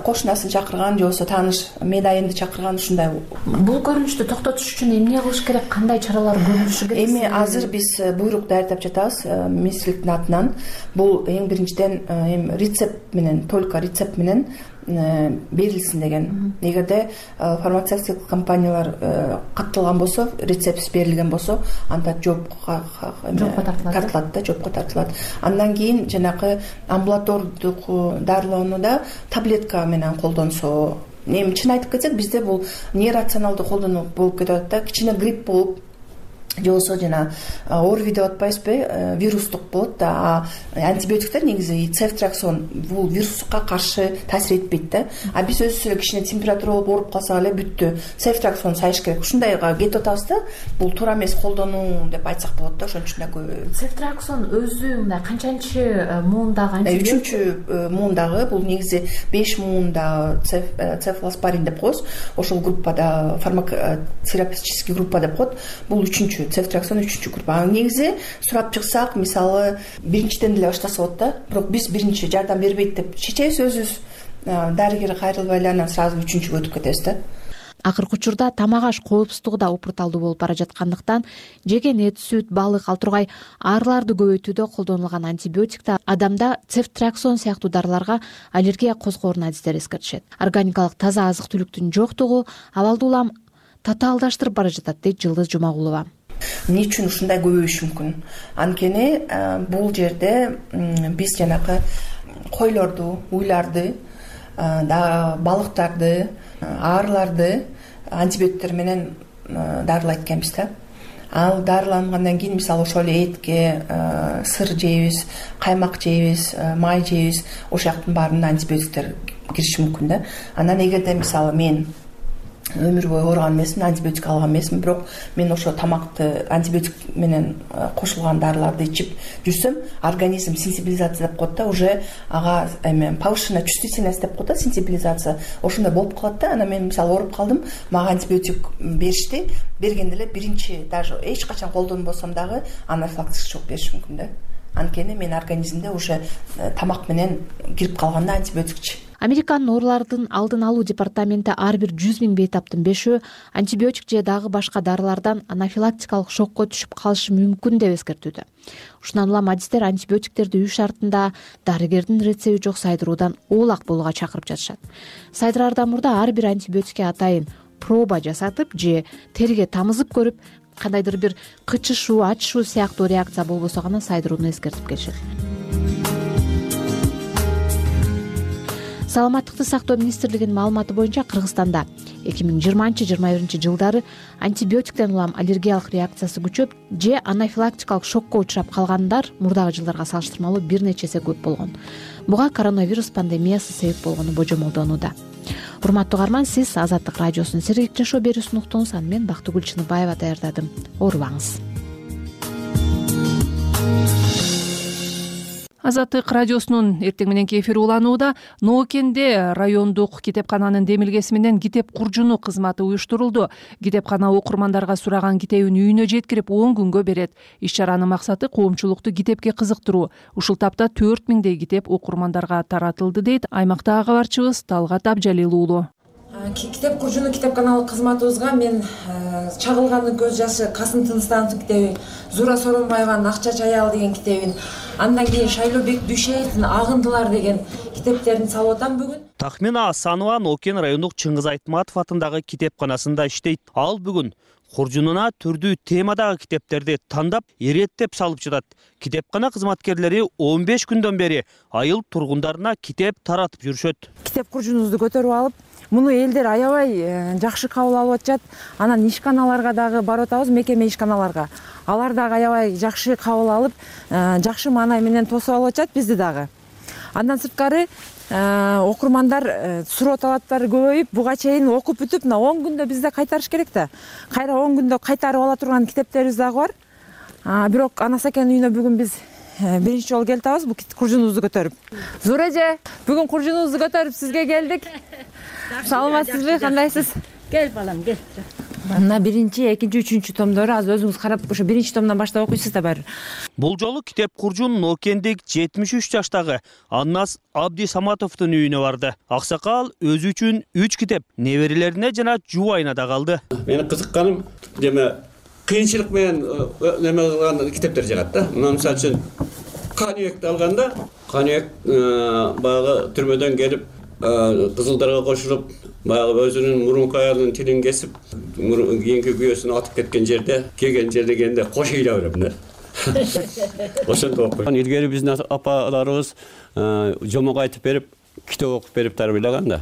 S9: кошунасын чакырган же болбосо тааныш медайымды чакырган, ушундай.
S10: Бул көрүнүштү токтотуш үчүн эмне кылыш керек, кандай чаралар көрүлүшү керек?
S9: Эми азыр биз буйрук даярдап жатабыз министрликтин атынан. Бул эң биринчиден эми рецепт менен, только рецепт менен берилсин деген. Эгерде фармацевтик компаниялар катталган болсо, рецептсиз берилген болсо, анда жоопко тартылат да, жоопко тартылат. Андан кийин жанагы амбулатордук дарылоонуда таблетка менен колдонсо, эми чын айтып кетсек, бизде бул нерационалдуу колдонуу болуп кетип атат да. Кичине грипп болуп же болбосо жана орви деп атпайбызбы, вирустук болот да. Антибиотиктер негизи цефтриаксон бул вируска каршы таасир этпейт да. А биз өзүбүз эле кичине температура болуп ооруп калсак эле бүттү, цефтриаксон сайыш керек. Ушундайга кетип атабыз да. Бул туура эмес колдонуу деп айтсак болот да. Ошон үчүн да көп.
S10: Цефтриаксон өзү мындай канчанчы муундагы антибиотик?
S9: Үчүнчү муундагы, бул негизи беш муунда цефалоспорин деп коебуз. Ошол группада фармакотерапевтический группа деп коет. Бул үчүнчү цефтриаксон үчүнчү группа. Негизи сурап чыксак, мисалы биринчиден деле баштаса болот да. Бирок биз биринчи жардам бербейт деп чечебиз өзүбүз. Дарыгерге кайрылбай эле анан сразу үчүнчүгө өтүп кетебиз да.
S10: Акыркы учурда тамак аш коопсуздугу да упурталдуу болуп бара жаткандыктан жеген эт, сүт, балык, ал тургай аарыларды көбөйтүүдө колдонулган антибиотикте адамда цефтриаксон сыяктуу дарыларга аллергия козгоорун адистер эскертишет. Органикалык таза азык-түлүктүн жоктугу абалды улам татаалдаштырып бара жатат, дейт Жылдыз Жумагулова.
S9: Эмне үчүн ушундай көбөйүшү мүмкүн? Анткени бул жерде биз жанагы койлорду, уйларды, балыктарды, аарыларды антибиотиктер менен дарылайт экенбиз да. Ал дарылангандан кийин мисалы ошол эле этке сыр жейбиз, каймак жейбиз, май жейбиз, ошол жактын баарына антибиотиктер кириши мүмкүн да. Анан эгерде мисалы мен өмүр бою ооруган эмесмин, антибиотик алган эмесмин, бирок мен ошо тамакты антибиотик менен кошулган дарыларды ичип жүрсөм, организм сенсибилизация деп коет да, уже ага эме повышенная чувствительность деп коет да, сенсибилизация ошондой болуп калат да. Анан мен мисалы ооруп калдым, мага антибиотик беришти, бергенде эле биринчи даже эч качан колдонбосом дагы анафилактический шок бериши мүмкүн да. Анткени менин организмде уже тамак менен кирип калган да антибиотикчи.
S10: Американын оорулардын алдын алуу департаменти ар бир жүз миң бейтаптын бешөө антибиотик же дагы башка дарылардан анафилактикалык шокко түшүп калышы мүмкүн деп эскертүүдө. Ушундан улам адистер антибиотиктерди үй шартында дарыгердин рецеби жок сайдыруудан оолак болууга чакырып жатышат. Сайдыраардан мурда ар бир антибиотикке атайын проба жасатып же терге тамызып көрүп, кандайдыр бир кычышуу, ачышуу сыяктуу реакция болбосо гана сайдырууну эскертип келишет. Саламаттыкты сактоо министрлигинин маалыматы боюнча Кыргызстанда эки миң жыйырманчы жыйырма биринчи жылдары антибиотиктен улам аллергиялык реакциясы күчөп же анафилактикалык шокко учурап калгандар мурдагы жылдарга салыштырмалуу бир нече эсе көп болгон. Буга коронавирус пандемиясы себеп болгону божомолдонууда. Урматтуу угарман, сиз Азаттык радиосунун сергек жашоо берүүсүн уктуңуз. Аны мен Бактыгүл Чыныбаева даярдадым. Оорубаңыз.
S2: Азаттык радиосунун эртең мененки эфири уланууда. Ноокенде райондук китепкананын демилгеси менен китеп куржуну кызматы уюштурулду. Китепкана окурмандарга сураган китебин үйүнө жеткирип он күнгө берет. Иш чаранын максаты коомчулукту китепке кызыктыруу. Ушул тапта төрт миңдей китеп окурмандарга таратылды дейт аймактагы кабарчыбыз Талгат Абжалил уулу.
S4: Китеп куржуну китепканалык кызматыбызга мен Чагылгандын көз жашы Касым Тыныстановдун китебин, Зура Соронбаеванын Акчач аял деген китебин, андан кийин Шайлообек Дүйшеевдин Агындылар деген китептерин салып атам бүгүн.
S11: Тахмина Асанова Нокен райондук Чыңгыз Айтматов атындагы китепканасында иштейт. Ал бүгүн куржунуна түрдүү темадагы китептерди тандап, иреттеп салып жатат. Китепкана кызматкерлери он беш күндөн бери айыл тургундарына китеп таратып жүрүшөт.
S4: Китеп куржунубузду көтөрүп алып, муну элдер аябай жакшы кабыл алып атышат. Анан ишканаларга дагы барып атабыз, мекеме ишканаларга. Алар дагы аябай жакшы кабыл алып, жакшы маанай менен тосуп алып атышат бизди дагы. Андан сырткары окурмандар суроо талаптары көбөйүп, буга чейин окуп бүтүп, мына он күндө бизде кайтарыш керек да. Кайра он күндө кайтарып ала турган китептерибиз дагы бар. Бирок Анасакенин үйүнө бүгүн биз биринчи жолу келип атабыз бул куржунубузду көтөрүп. Зура эже, бүгүн куржунубузду көтөрүп сизге келдик. Саламатсызбы, кандайсыз?
S12: Кел балам, кел.
S4: Мына биринчи, экинчи, үчүнчү томдору азыр өзүңүз карап, ошо биринчи томдон баштап окуйсуз да баары.
S11: Бул жолу китеп куржун Нокендик жетимиш үч жаштагы Аннас Абди Саматовдун үйүнө барды. Аксакал өзү үчүн үч китеп неберелерине жана жубайына да калды.
S13: Менин кызыкканым деме кыйынчылык менен неме кылган китептер жагат да. Мына мисалы үчүн Каныбекти алганда, Каныбек баягы түрмөдөн келип кызылдарга кошулуп, баягы өзүнүн мурунку аялынын тилин кесип, кийинки күйөөсүн атып кеткен жерде, келген жерде келгенде кош ыйла берем да. Ошентип окуйм. Илгери биздин апаларыбыз жомок айтып берип, китеп окуп берип тарбиялаган да.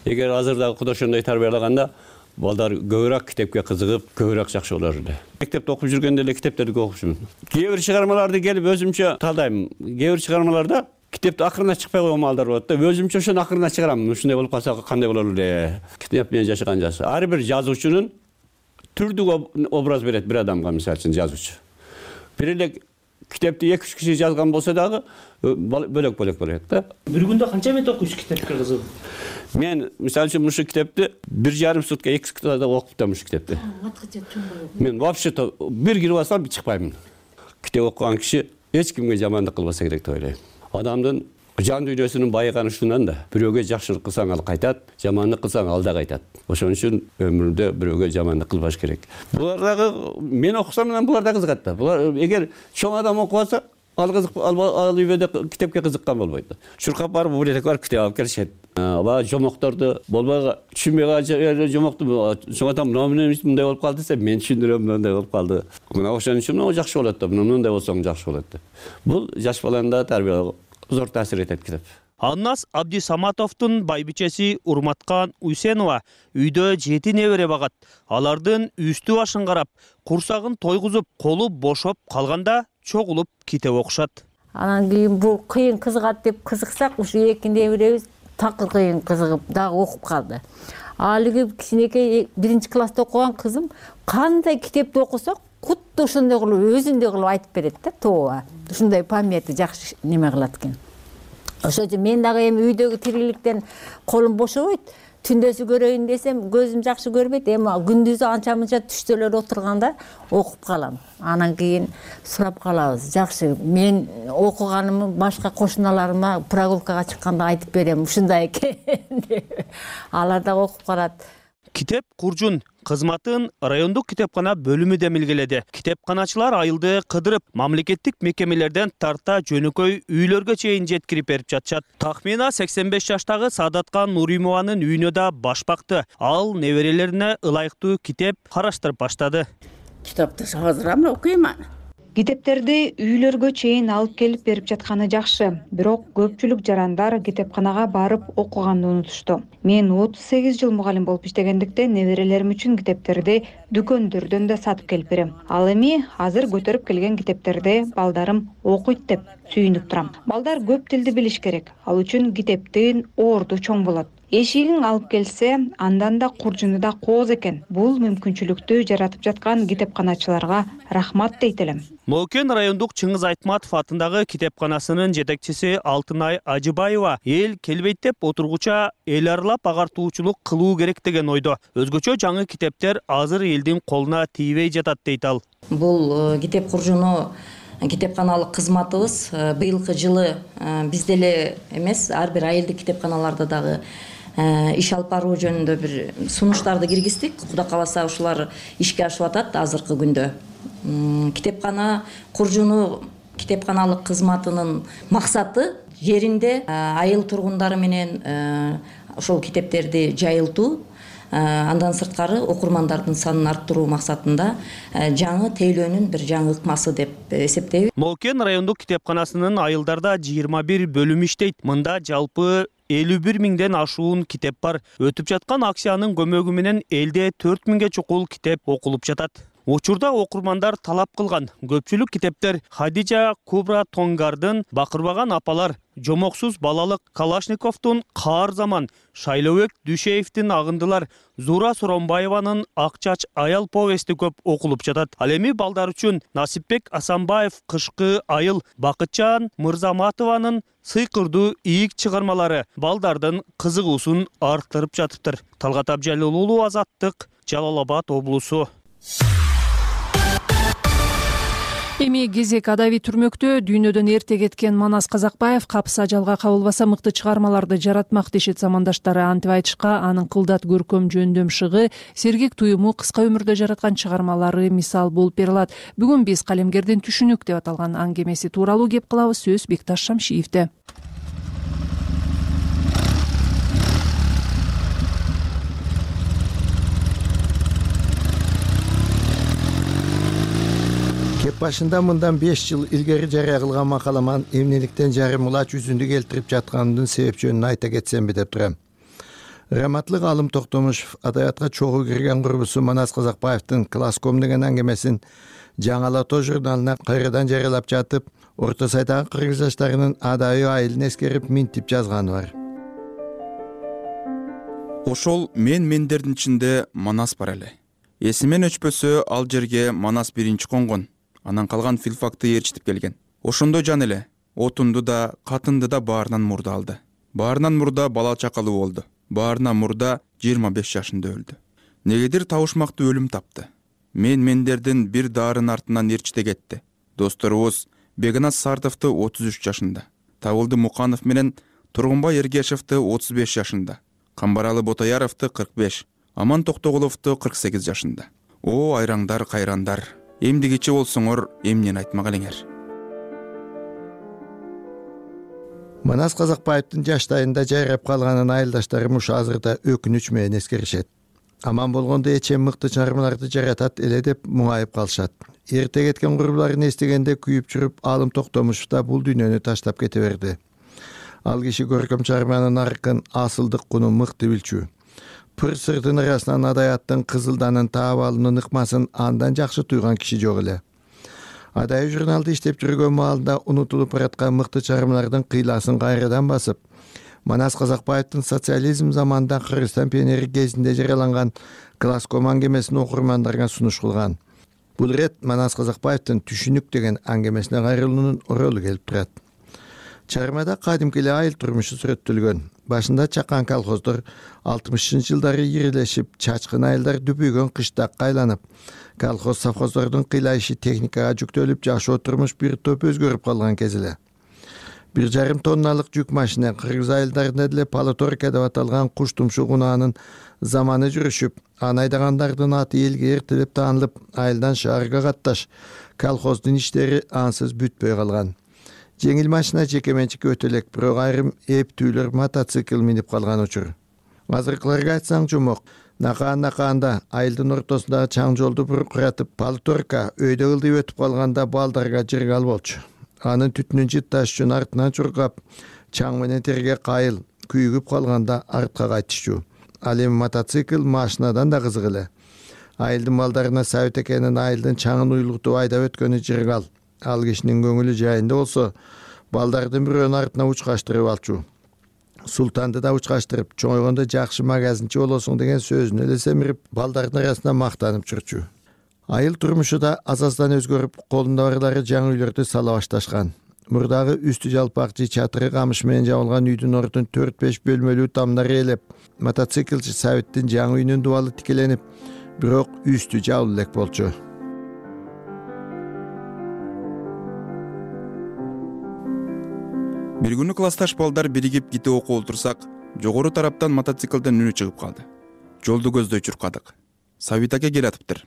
S13: Эгер азырдагы кудай ошондой тарбиялаганда, балдар көбүрөөк китепке кызыгып, көбүрөөк жакшы болор эле. Мектепте окуп жүргөндө эле китептерди окупчумун. Кээ бир чыгармаларды келип өзүмчө талдайм. Кээ бир чыгармаларда китепти акырына чыкпай койгон маалдар болот да. Өзүмчө ошону акырына чыгарам. Ушундай болуп калса кандай болор эле? Китеп менен жашаган жаш. Ар бир жазуучунун түрдүк образ берет бир адамга, мисалы үчүн жазуучу. Бир эле китепти эки үч киши жазган болсо дагы бөлөк-бөлөк болот да.
S11: Бир күндө канча бет окуйсуз китепке кызыгып?
S13: Мен мисалы үчүн мушу китепти бир жарым сутка эки суткада окуп атам ушул китепти. Мен вообще-то бир кирип алсам чыкпаймын. Китеп окуган киши эч кимге жамандык кылбаса керек деп ойлойм. Адамдын жан дүйнөсүнүн байыганы ушундан да. Бирөөгө жакшылык кылсаң ал кайтат, жамандык кылсаң ал да кайтат. Ошон үчүн өмүрдө бирөөгө жамандык кылбаш керек. Булар дагы мен окусам менен булар да кызыгат да. Булар эгер чоң адам окуп алса, ал кызык ал үйдө китепке кызыккан болбойт. Чуркап барып библиотека барып китеп алып келишет. Баягы жомокторду болбой түшүнбөй калган жомокту чоң адам мындай мындай болуп калды десе, мен түшүндүрөм мындай болуп калды. Мына ошон үчүн мына жакшы болот да, мындай болсоң жакшы болот деп. Бул жаш баланы да тарбиялоого зор таасир этет китеп.
S11: Аннас Абди Саматовдун байбичеси Урматкан Уйсенова үйдө жети небере багат. Алардын үстү башын карап, курсагын тойгузуп, колу бошоп калганда чогулуп китеп окушат.
S12: Анан кийин бул кыйын кызыгат деп кызыксак, ушу эки неберебиз такыр кыйын кызыгып дагы окуп калды. алиги кичинекей биринчи класста окуган кызым кандай китепти окусак кутта ошондой кылып өзүндөй кылып айтып берет да, тооба. Ушундай памяти жакшы неме кылат экен. Ошон үчүн мен дагы эми үйдөгү тириликтен колум бошобойт. Түндөсү көрөйүн десем көзүм жакшы көрбөйт. Эми күндүзү анча мынча түштөлөр отурганда окуп калам. Анан кийин сурап калабыз. Жакшы, мен окуганымды башка кошуналарыма прогулкага чыкканда айтып берем. Ушундай экен деп. Алар да окуп калат.
S11: Китеп Куржун кызматын райондук китепкана бөлүмү демилгеледи. Китепканачылар айылды кыдырып, мамлекеттик мекемелерден тарта жөнөкөй үйлөргө чейин жеткирип берип жатышат. Тахмина сексен беш жаштагы Садаткан Нуримованын үйүнө да баш бакты. Ал неберелерине ылайыктуу китеп караштырып баштады.
S12: Китапты азыр окуйм.
S5: Китептерди үйлөргө чейин алып келип берип жатканы жакшы, бирок көпчүлүк жарандар китепканага барып окуганды унутушту. Мен отуз сегиз жыл мугалим болуп иштегендиктен неберелерим үчүн китептерди дүкөндөрдөн да сатып келип берем. Ал эми азыр көтөрүп келген китептерди балдарым окуйт деп сүйүнүп турам. Балдар көп тилди билиш керек. Ал үчүн китептин орду чоң болот. Эшигиң алып келсе, андан да Куржуну да кооз экен. Бул мүмкүнчүлүктү жаратып жаткан китепканачыларга рахмат дейт элем.
S11: Моокен райондук Чыңгыз Айтматов атындагы китепканасынын жетекчиси Алтынай Ажыбаева эл келбейт деп отургуча эл аралап агартуучулук кылуу керек деген ойдо. Өзгөчө жаңы китептер азыр элдин колуна тийбей жатат дейт ал.
S14: Бул китеп Куржуну китепканалык кызматыбыз быйылкы жылы биз деле эмес, ар бир айылдык китепканаларда дагы иш алып баруу жөнүндө бир сунуштарды киргиздик. Кудай кааласа ушулар ишке ашып атат азыркы күндө. Китепкана Куржуну китепканалык кызматынын максаты жеринде айыл тургундары менен ошол китептерди жайылтуу, андан сырткары окурмандардын санын арттыруу максатында жаңы тейлөөнүн бир жаңы ыкмасы деп эсептейбиз.
S11: Моокен райондук китепканасынын айылдарда жыйырма бир бөлүм иштейт. Мында жалпы элүү бир миңден ашуун китеп бар. Өтүп жаткан акциянын көмөгү менен элде төрт миңге чукул китеп окулуп жатат. Учурда окурмандар талап кылган көпчүлүк китептер Хадижа Кубра Тонгардын Бакырбаган апалар, Жомоксуз балалык Калашниковдун Каар заман, Шайлообек Дүшеевдин Агындылар, Зура Соромбаеванын Ак чач аял повести көп окулуп жатат. Ал эми балдар үчүн Насипбек Асанбаев Кышкы айыл, Бакытжан Мырзаматованын Сыйкырдуу ийик чыгармалары балдардын кызыгуусун арттырып жатыптыр. Талгат Абжалил уулу, Азаттык, Жалал Абад облусу.
S2: Эми кезек адаби түрмөктө дүйнөдөн эрте кеткен Манас Казакбаев капса жалга кабылбаса мыкты чыгармаларды жаратмак дешет замандаштары. Антип айтышка анын кылдат көркөм жөндөм шыгы, сергек туюму, кыска өмүрдө жараткан чыгармалары мисал болуп бере алат. Бүгүн биз калемгердин түшүнүк деп аталган аңгемеси тууралуу кеп кылабыз. Сөз Бекташ Шамшиевде.
S15: Башында мындан беш жыл илгери жарыя кылган макаламан эмнеликтен жарым улач жүзүндү келтирип жатканымдын себеп жөнүн айта кетсемби деп турам. Раматлык Алым Токтомушев адабиятка чогуу кирген курбусу Манас Казакбаевдин Класском деген аңгемесин Жаңы Ала Тоо журналына кайрадан жарыялап жатып, Орто Сайдагы кыргыз жаштарынын адайы айылын эскерип минтип жазганы бар.
S16: Ошол мен мендердин ичинде Манас бар эле. Эсимен өчпөсө ал жерге Манас биринчи конгон. Анан калган филфакты ээрчитип келген. Ошондой жан эле. Отунду да, катынды да баарынан мурда алды. Баарынан мурда бала чакалуу болду. Баарынан мурда жыйырма беш жашында өлдү. Негедир табышмактуу өлүм тапты. Мен мендердин бир дарын артынан ээрчите кетти. Досторубуз Бегназ Сартовду отуз үч жашында, Табылды Муканов менен Тургунбай Эргешевди отуз беш жашында, Камбаралы Ботояровду кырк беш, Аман Токтогуловду кырк сегиз жашында. О айраңдар, кайрандар. Эмдигичи болсоңор, эмнени айтмак элеңер.
S15: Манас Казакбаевдин жаштайында жайрап калганын айылдаштарым ушу азырда өкүнүч менен эскеришет. Аман болгондо эчем мыкты чыгармаларды жаратат эле деп муңайып калышат. Эрте кеткен курбуларын эстегенде күйүп жүрүп, Алым Токтомушев да бул дүйнөнү таштап кете берди. Ал киши көркөм чыгарманын наркын, асылдык кунун мыкты билчү. Пыр сырдын арасынан адаяттын кызылданын таап алуунун ыкмасын андан жакшы туйган киши жок эле. Адайы журналды иштеп жүргөн маалында унутулуп бараткан мыкты чыгармалардын кыйласын кайрадан басып, Манас Казакбаевдин социализм заманында Кыргызстан пионери кезинде жарыяланган Класском аңгемесин окурмандарга сунуш кылган. Бул ирет Манас Казакбаевдин Түшүнүк деген аңгемесине кайрылуунун оролу келип турат. Чыгармада кадимки эле айыл турмушу сүрөттөлгөн. Башында чакан колхоздор алтымышынчы жылдары ирелешип, чачкын айылдар дүпүйгөн кыштакка айланып, колхоз совхоздордун кыйлайшы техникага жүктөлүп, жашоо турмуш бир топ өзгөрүп калган кез эле. Бир жарым тонналык жүк машина кыргыз айылдарында деле полуторка деп аталган куш тумшук унаанын заманы жүрүшүп, аны айдагандардын аты элге эртелеп таанылып, айылдан шаарга катташ, колхоздун иштери ансыз бүтпөй калган. Жеңил машина жеке менчикке өтө элек, бирок айрым эптүүлөр мотоцикл минип калган учур. Азыркыларга айтсаң жумок, накаан-накаанда айылдын ортосундагы чаң жолду буркуратып, полуторка өйдө ылдый өтүп калганда балдарга жыргал болчу. Анын түтүнүн жытташ үчүн артынан чуркап, чаң менен терге кайыл, күйүгүп калганда артка кайтышчу. Ал эми мотоцикл машинадан да кызык эле. Айылдын балдарына Сабит экенин айылдын чаңын уйлуктуп айдап өткөнү жыргал. Ал кишинин көңүлү жайында болсо, балдардын бирөөнүн артына учкаштырып алчу. Султанды да учкаштырып, чоңойгондо жакшы магазинчи болосуң деген сөзүн эле семирип, балдардын арасында мактанып жүрчү. Айыл турмушу да аз-аздан өзгөрүп, колунда барлары жаңы үйлөрдү сала башташкан. Мурдагы үстү жалпак же чатыры камыш менен жабылган үйдүн ордун төрт-беш бөлмөлүү тамдар ээлеп, мотоциклчи Сабиттин жаңы үйүнүн дубалы тикеленип, бирок үстү жабыла элек болчу.
S16: Бир күнү классташ балдар биригип ките окуп отурсак, жогору тараптан мотоциклден үнү чыгып калды. Жолду көздөй чуркадык. Сабит аке келатыптыр.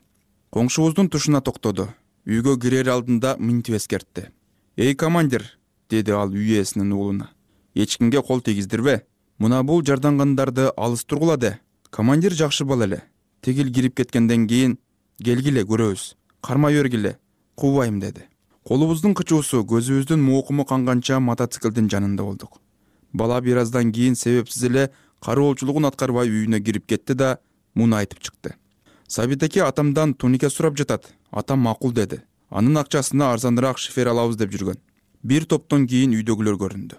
S16: Коңшубуздун тушуна токтоду. Үйгө кирер алдында мынтип эскертти. «Эй, командир!» деди ал үй ээсинин уулуна. «Эч кимге кол тийгиздирбе. Мына бул жардангандарды алыс тургула де. Командир жакшы бала эле. Тегил кирип кеткенден кийин келгиле көрөбүз. Кармай бергиле. Кубайм» деди. Колубуздун кычуусу, көзүбүздүн моокуму канганча мотоциклдин жанында болдук. Бала бир аздан кийин себепсиз эле кароолчулугун аткарбай үйүнө кирип кетти да муну айтып чыкты. «Сабит аке атамдан тунике сурап жатат. Атам макул деди. Анын акчасына арзаныраак шифер алабыз деп жүргөн». Бир топтон кийин үйдөгүлөр көрүндү.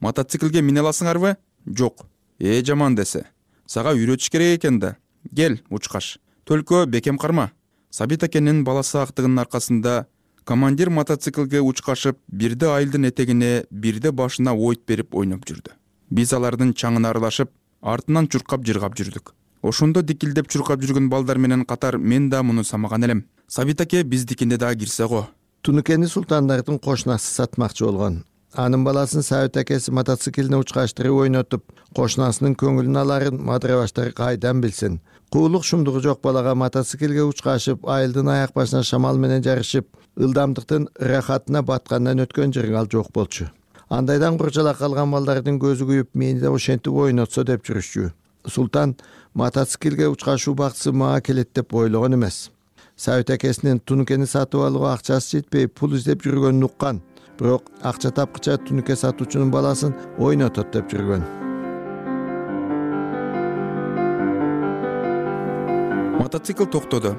S16: «Мотоциклге мине аласыңарбы?» «Жок». «Э, жаман десе. Сага үйрөтүш керек экен да. Кел, учкаш. Төлкө бекем карма». Сабит акенин баласы актыгынын аркасында командир мотоциклге учкашып, бирде айылдын этегине, бирде башына ойт берип ойноп жүрдү. Биз алардын чаңына аралашып, артынан чуркап жыргап жүрдүк. Ошондо дикилдеп чуркап жүргөн балдар менен катар мен да муну самаган элем. Сабит аке биздикине дагы кирсе го.
S15: Тунукени султандардын кошунасы сатмакчы болгон. Анын баласын Сабит акеси мотоциклине учкаштырып ойнотуп, кошунасынын көңүлүн аларын мадырабаштар кайдан билсин. Куулук шумдугу жок балага мотоциклге учкашып, айылдын аяк башына шамал менен жарышып, ылдамдыктын рахатына баткандан өткөн жыргал жок болчу. Андайдан курчалак калган балдардын көзү күйүп, мени да ошентип ойнотсо деп жүрүшчү. Султан мотоциклге учкашуу бактысы мага келет деп ойлогон эмес. Сабит акесинин тунукени сатып алууга акчасы жетпей, пул издеп жүргөнүн уккан. Бирок акча тапкыча тунуке сатуучунун баласын ойнотот деп жүргөн.
S16: Мотоцикл токтоду.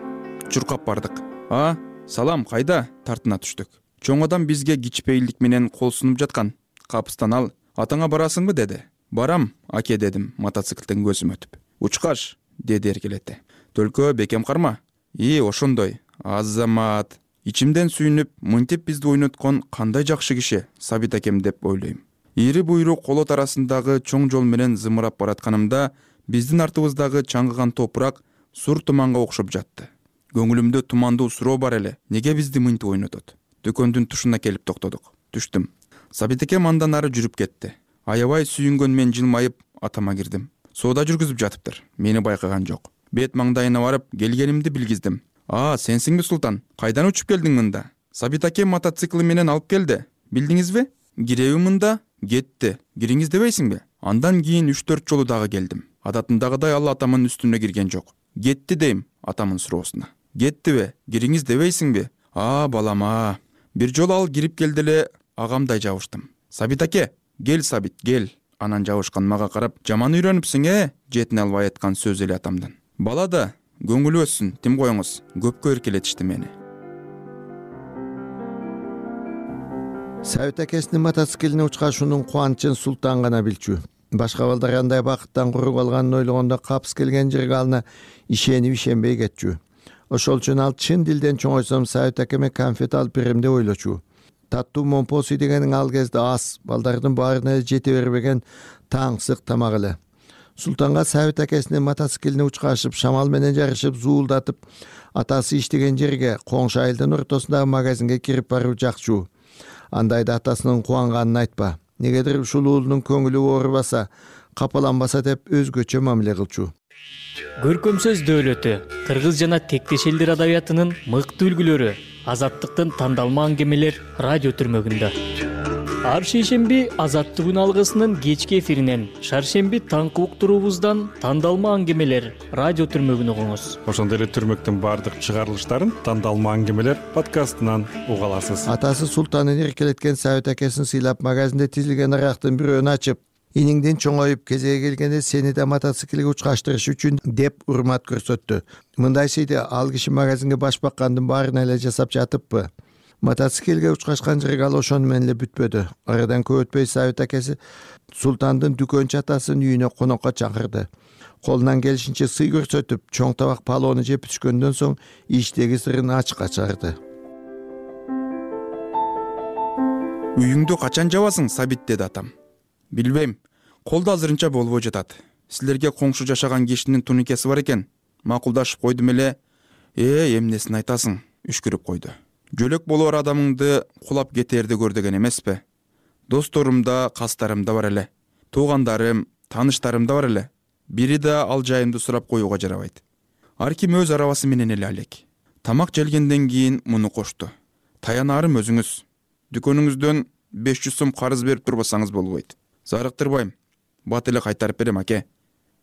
S16: Чуркап бардык. «А, салам, кайда?» тартына түштүк. Чоң адам бизге кичпейилдик менен кол сунуп жаткан. «Капыстан ал, атаңа барасыңбы?» деди. «Барам, аке» дедим мотоциклден көзүм өтүп. «Учкаш» деди эркелете. «Төлкө бекем карма». «И, ошондой. Азамат». Ичимден сүйүнүп, мынтип бизди ойноткон кандай жакшы киши Сабит акем деп ойлойм. Ири буйрук колот арасындагы чоң жол менен зымырап баратканымда, биздин артыбыздагы чаңгыган топурак сур туманга окшоп жатты. Көңүлүмдө тумандуу суроо бар эле. Неге бизди мынтип ойнотот? Дөкөндүн тушуна келип токтодук. Түштүм. Сабит акем андан ары жүрүп кетти. Аябай сүйүнгөн мен жылмайып атама кирдим. Соода жүргүзүп жатыптыр. Мени байкаган жок. Бет маңдайына барып, келгенимди билгиздим. «А, сенсиңби Султан? Кайдан учуп келдиң мында?» «Сабит аке мотоцикли менен алып келди. Билдиңизби?» «Киреби мында?» «Кетти. Кириңиз дебейсиңби?» Андан кийин үч төрт жолу дагы келдим. Адатындагыдай ал атамын үстүнө кирген жок. «Кетти» дейм атамын суроосуна. «Кеттиби? Кириңиз дебейсиңби?» «А, балама». Бир жолу ал кирип келди эле, агамдай жабыштым. «Сабит аке, кел Сабит, кел». Анан жабышкан мага карап, «Жаман үйрөнүпсүң, э?» Жетине албай айткан сөз эле атамдан. «Бала да көңүлү өссүн, тим коюңуз». Көпкө эркелетишти мени.
S15: Сабит акесинин мотоциклине учкашуунун кубанычын Султан гана билчү. башка балдар андай бакыттан куруп алганын ойлогондо капыс келген жерге алына ишенип ишенбей кетчү. Ошол үчүн ал чын дилден чоңойсом Сабит акеме конфет алып берем деп ойлочу. Таттуу момпосуй дегениң ал кезде аз, балдардын баарына жете бербеген таңсык тамак эле. Султанга Сабит акесинин мотоциклине учкашып, шамал менен жарышып, зуулдатып, атасы иштеген жерге, коңшу айылдын ортосундагы магазинге кирип баруу жакчу. Андайда атасынын кубанганын айтпа. Негедир ушул уулунун көңүлү оорубаса, капаланбаса деп өзгөчө мамиле кылчу.
S17: Көркөм сөз дөөлөтү, кыргыз жана тектеш элдер адабиятынын мыкты үлгүлөрү, Азаттыктын тандалма аңгемелер радио түрмөгүндө. Ар шейшемби Азаттык алгысынын кечки эфиринен, шаршемби таңкы уктуруубуздан тандалма аңгемелер радио түрмөгүн угуңуз.
S7: Ошондой эле түрмөктүн баардык чыгарылыштарын тандалма аңгемелер подкастынан уга аласыз.
S15: Атасы Султанын эркелеткен Сабит акесин сыйлап, магазинде тизилген арактын бирөөнү ачып, иниңдин чоңоюп кезеги келгенде сени да мотоциклге учкаштырыш үчүн деп урмат көрсөттү. Мындай сыйды ал киши магазинге баш баккандын баарына эле жасап жатыппы? Мотоциклге учкашкан жерге ал ошону менен эле бүтпөдү. Арадан көп өтпөй Сабит акеси Султандын дүкөнчү атасынын үйүнө конокко чакырды. Колунан келишинче сый көрсөтүп, чоң табак палоону жеп түшкөндөн соң иштеги сырын ачыкка чыгарды.
S16: Үйүңдү качан жабасың, Сабит, деди атам. Билбейм, колдо азырынча болбой жатат. Силерге коңшу жашаган кишинин туникеси бар экен. Макулдашып койдум эле. Э, эмнесин айтасың, үшкүрүп койду. Жөлөк болор адамыңды кулап кетээрди көр деген эмеспи? Досторум да, кастарым да бар эле. Туугандарым, тааныштарым да бар эле. Бири да ал жайымды сурап коюуга жарабайт. Ар ким өз арабасы менен эле алек. Тамак желгенден кийин муну кошту. Таянарым өзүңүз. Дүкөнүңүздөн беш жүз сом карыз берип турбасаңыз болбойт. Зарыктырбайм. Бат эле кайтарып берем, аке.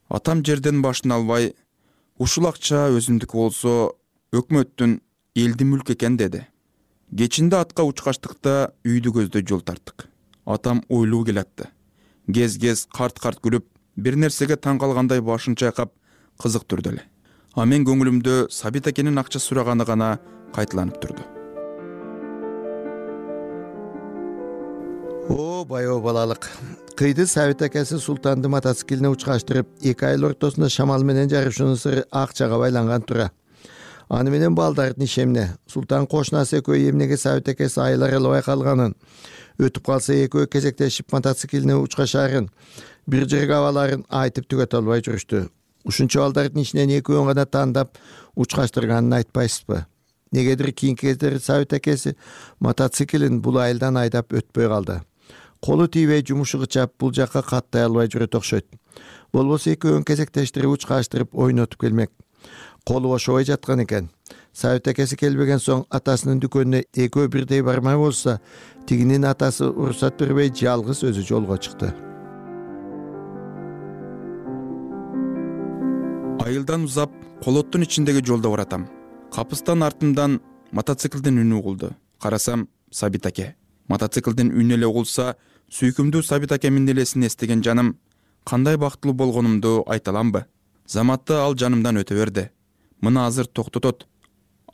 S16: Атам жерден башын албай, ушул акча өзүмдүкү болсо, өкмөттүн элди мүлк экен деди. Кечинде атка учкаштыкта үйдү көздөй жол тарттык. Атам ойлуу келатты. Кез-кез карт-карт күлүп, бир нерсеге таң калгандай башын чайкап, кызыктырды эле. А мен көңүлүмдө Сабит акенин акча сураганы гана кайталанып турду.
S15: О, байоо балалык. Кыйды Сабит акеси Султанды мотоциклине учкаштырып, эки айыл ортосунда шамал менен жарышуунун сыры акчага байланган тура. Аны менен балдардын ишемне. Султан кошунасы экөө эмнеге Сабит акеси айлар албай калганын, өтүп калса экөө кезектешип мотоциклине учкашарын, бир жерге абаларын айтып түгөтө албай жүрүштү. Ушунча балдардын ичинен экөөнү гана тандап учкаштырганын айтпайсызбы? Негедир кийинки кездери Сабит акеси мотоциклин бул айылдан айдап өтпөй калды. Колу тийбей жумушу кычап, бул жакка каттай албай жүрөт окшойт. Болбосо экөөнү кезектештирип учкаштырып ойнотуп келмек. Колу ошобой жаткан экен. Сабит акеси келбеген соң атасынын дүкөнүнө экөө бирдей бармай болса, тигинин атасы уруксат бербей жалгыз өзү жолго чыкты.
S16: Айылдан узап, колоттун ичиндеги жолдо баратам. Капыстан артымдан мотоциклдин үнү угулду. Карасам, Сабит аке. Мотоциклдин үнү эле угулса, сүйкүмдүү Сабит акемдин элесин эстеген жаным кандай бактылуу болгонумду айта аламбы? Заматта ал жанымдан өтө берди. Мына азыр токтотот.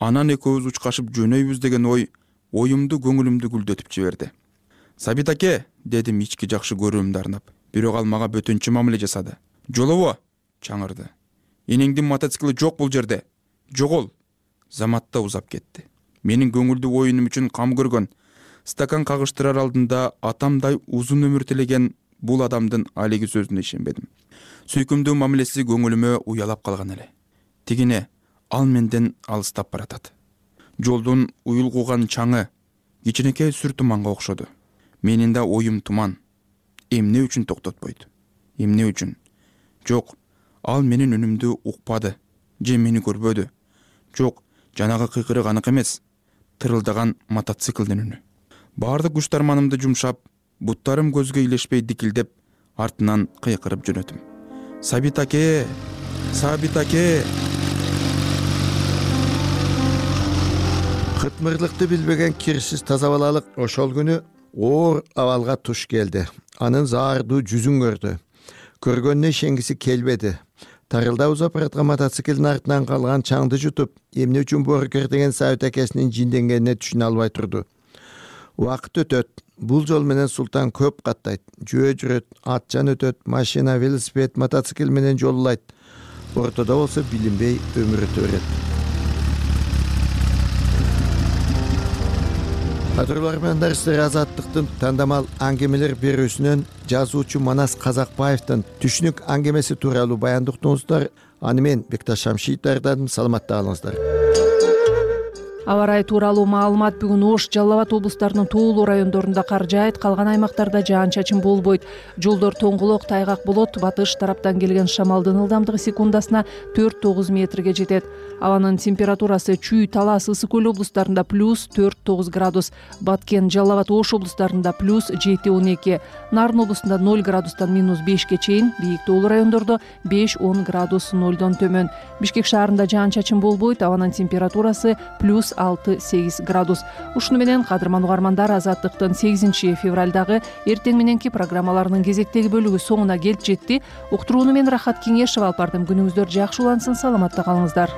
S16: Анан экөөбүз учкашып жөнөйбүз деген ой оюмду, көңүлүмдү гүлдөтүп жиберди. Сабит аке, дедим ички жакшы көрүүмдү арнап. Бирок ал мага бөтөнчө мамиле жасады. Жолобо, чаңырды. Энеңдин мотоцикли жок бул жерде. Жогол. Заматта узап кетти. Менин көңүлдүү оюнум үчүн кам көргөн, стакан кагыштырар алдында атамдай узун өмүр тилеген бул адамдын алиги сөзүнө ишенбедим. Сүйкүмдүү мамилеси көңүлүмө уялап калган эле. Тигине ал менден алыстап баратат. Жолдун уюлгуган чаңы кичинекей сүр туманга окшоду. Менин да оюм туман. Эмне үчүн токтотпойт? Эмне үчүн? Жок, ал менин үнүмдү укпады, же мени көрбөдү. Жок, жанагы кыйкырык анык эмес, тырылдаган мотоциклдин үнү. Баардык күч тарманымды жумшап, буттарым көзгө илешпей дикилдеп, артынан кыйкырып жөнөтүм. Сабит аке! Сабит аке!
S15: Кытмырлыкты билбеген кирсиз таза балалык ошол күнү оор абалга туш келди. Анын заардуу жүзүн көрдү. Көргөнүнө ишенгиси келбеди. Тарылда узап бараткан мотоциклдин артынан калган чаңды жутуп, эмне үчүн боорукер деген Сабит акесинин жинденгенине түшүнө албай турду. Убакыт өтөт. Бул жол менен Султан көп каттайт. Жөө жүрөт, атчан өтөт, машина, велосипед, мотоцикл менен жолулайт. Ортодо болсо билинбей өмүр өтө берет. Кадырлар менен дарыстер Азаттыктын тандамал аңгемелер берүүсүнөн жазуучу Манас Казакбаевдин түшүнүк аңгемеси тууралуу баяндык уктуңуздар. Аны мен Бекташ Шамшиев даярдадым. Саламатта калыңыздар.
S2: Аба ырайы тууралуу маалымат. Бүгүн Ош, Жалал Абад облустарынын тоолуу райондорунда кар жаайт, калган аймактарда жаан-чачын болбойт. Жолдор тоңголок, тайгак болот. Батыш тараптан келген шамалдын ылдамдыгы секундасына төрт тогуз метрге жетет. Абанын температурасы Чүй, Талас, Ысык Көл облустарында плюс төрт тогуз градус, Баткен, Жалал Абад, Ош облустарында плюс жети он эки, Нарын облусунда ноль градустан минус бешке чейин, бийик тоолуу райондордо беш он градус нолдон төмөн. Бишкек шаарында жаан-чачын болбойт, абанын температурасы плюс алты сегиз градус. Ушуну менен кадырман угармандар, Азаттыктын сегизинчи февралдагы эртең мененки программаларынын кезектеги бөлүгү соңуна келип жетти. Уктурууну мен Рахат Кеңешева алып бардым. Күнүңүздөр жакшы улансын, саламатта калыңыздар.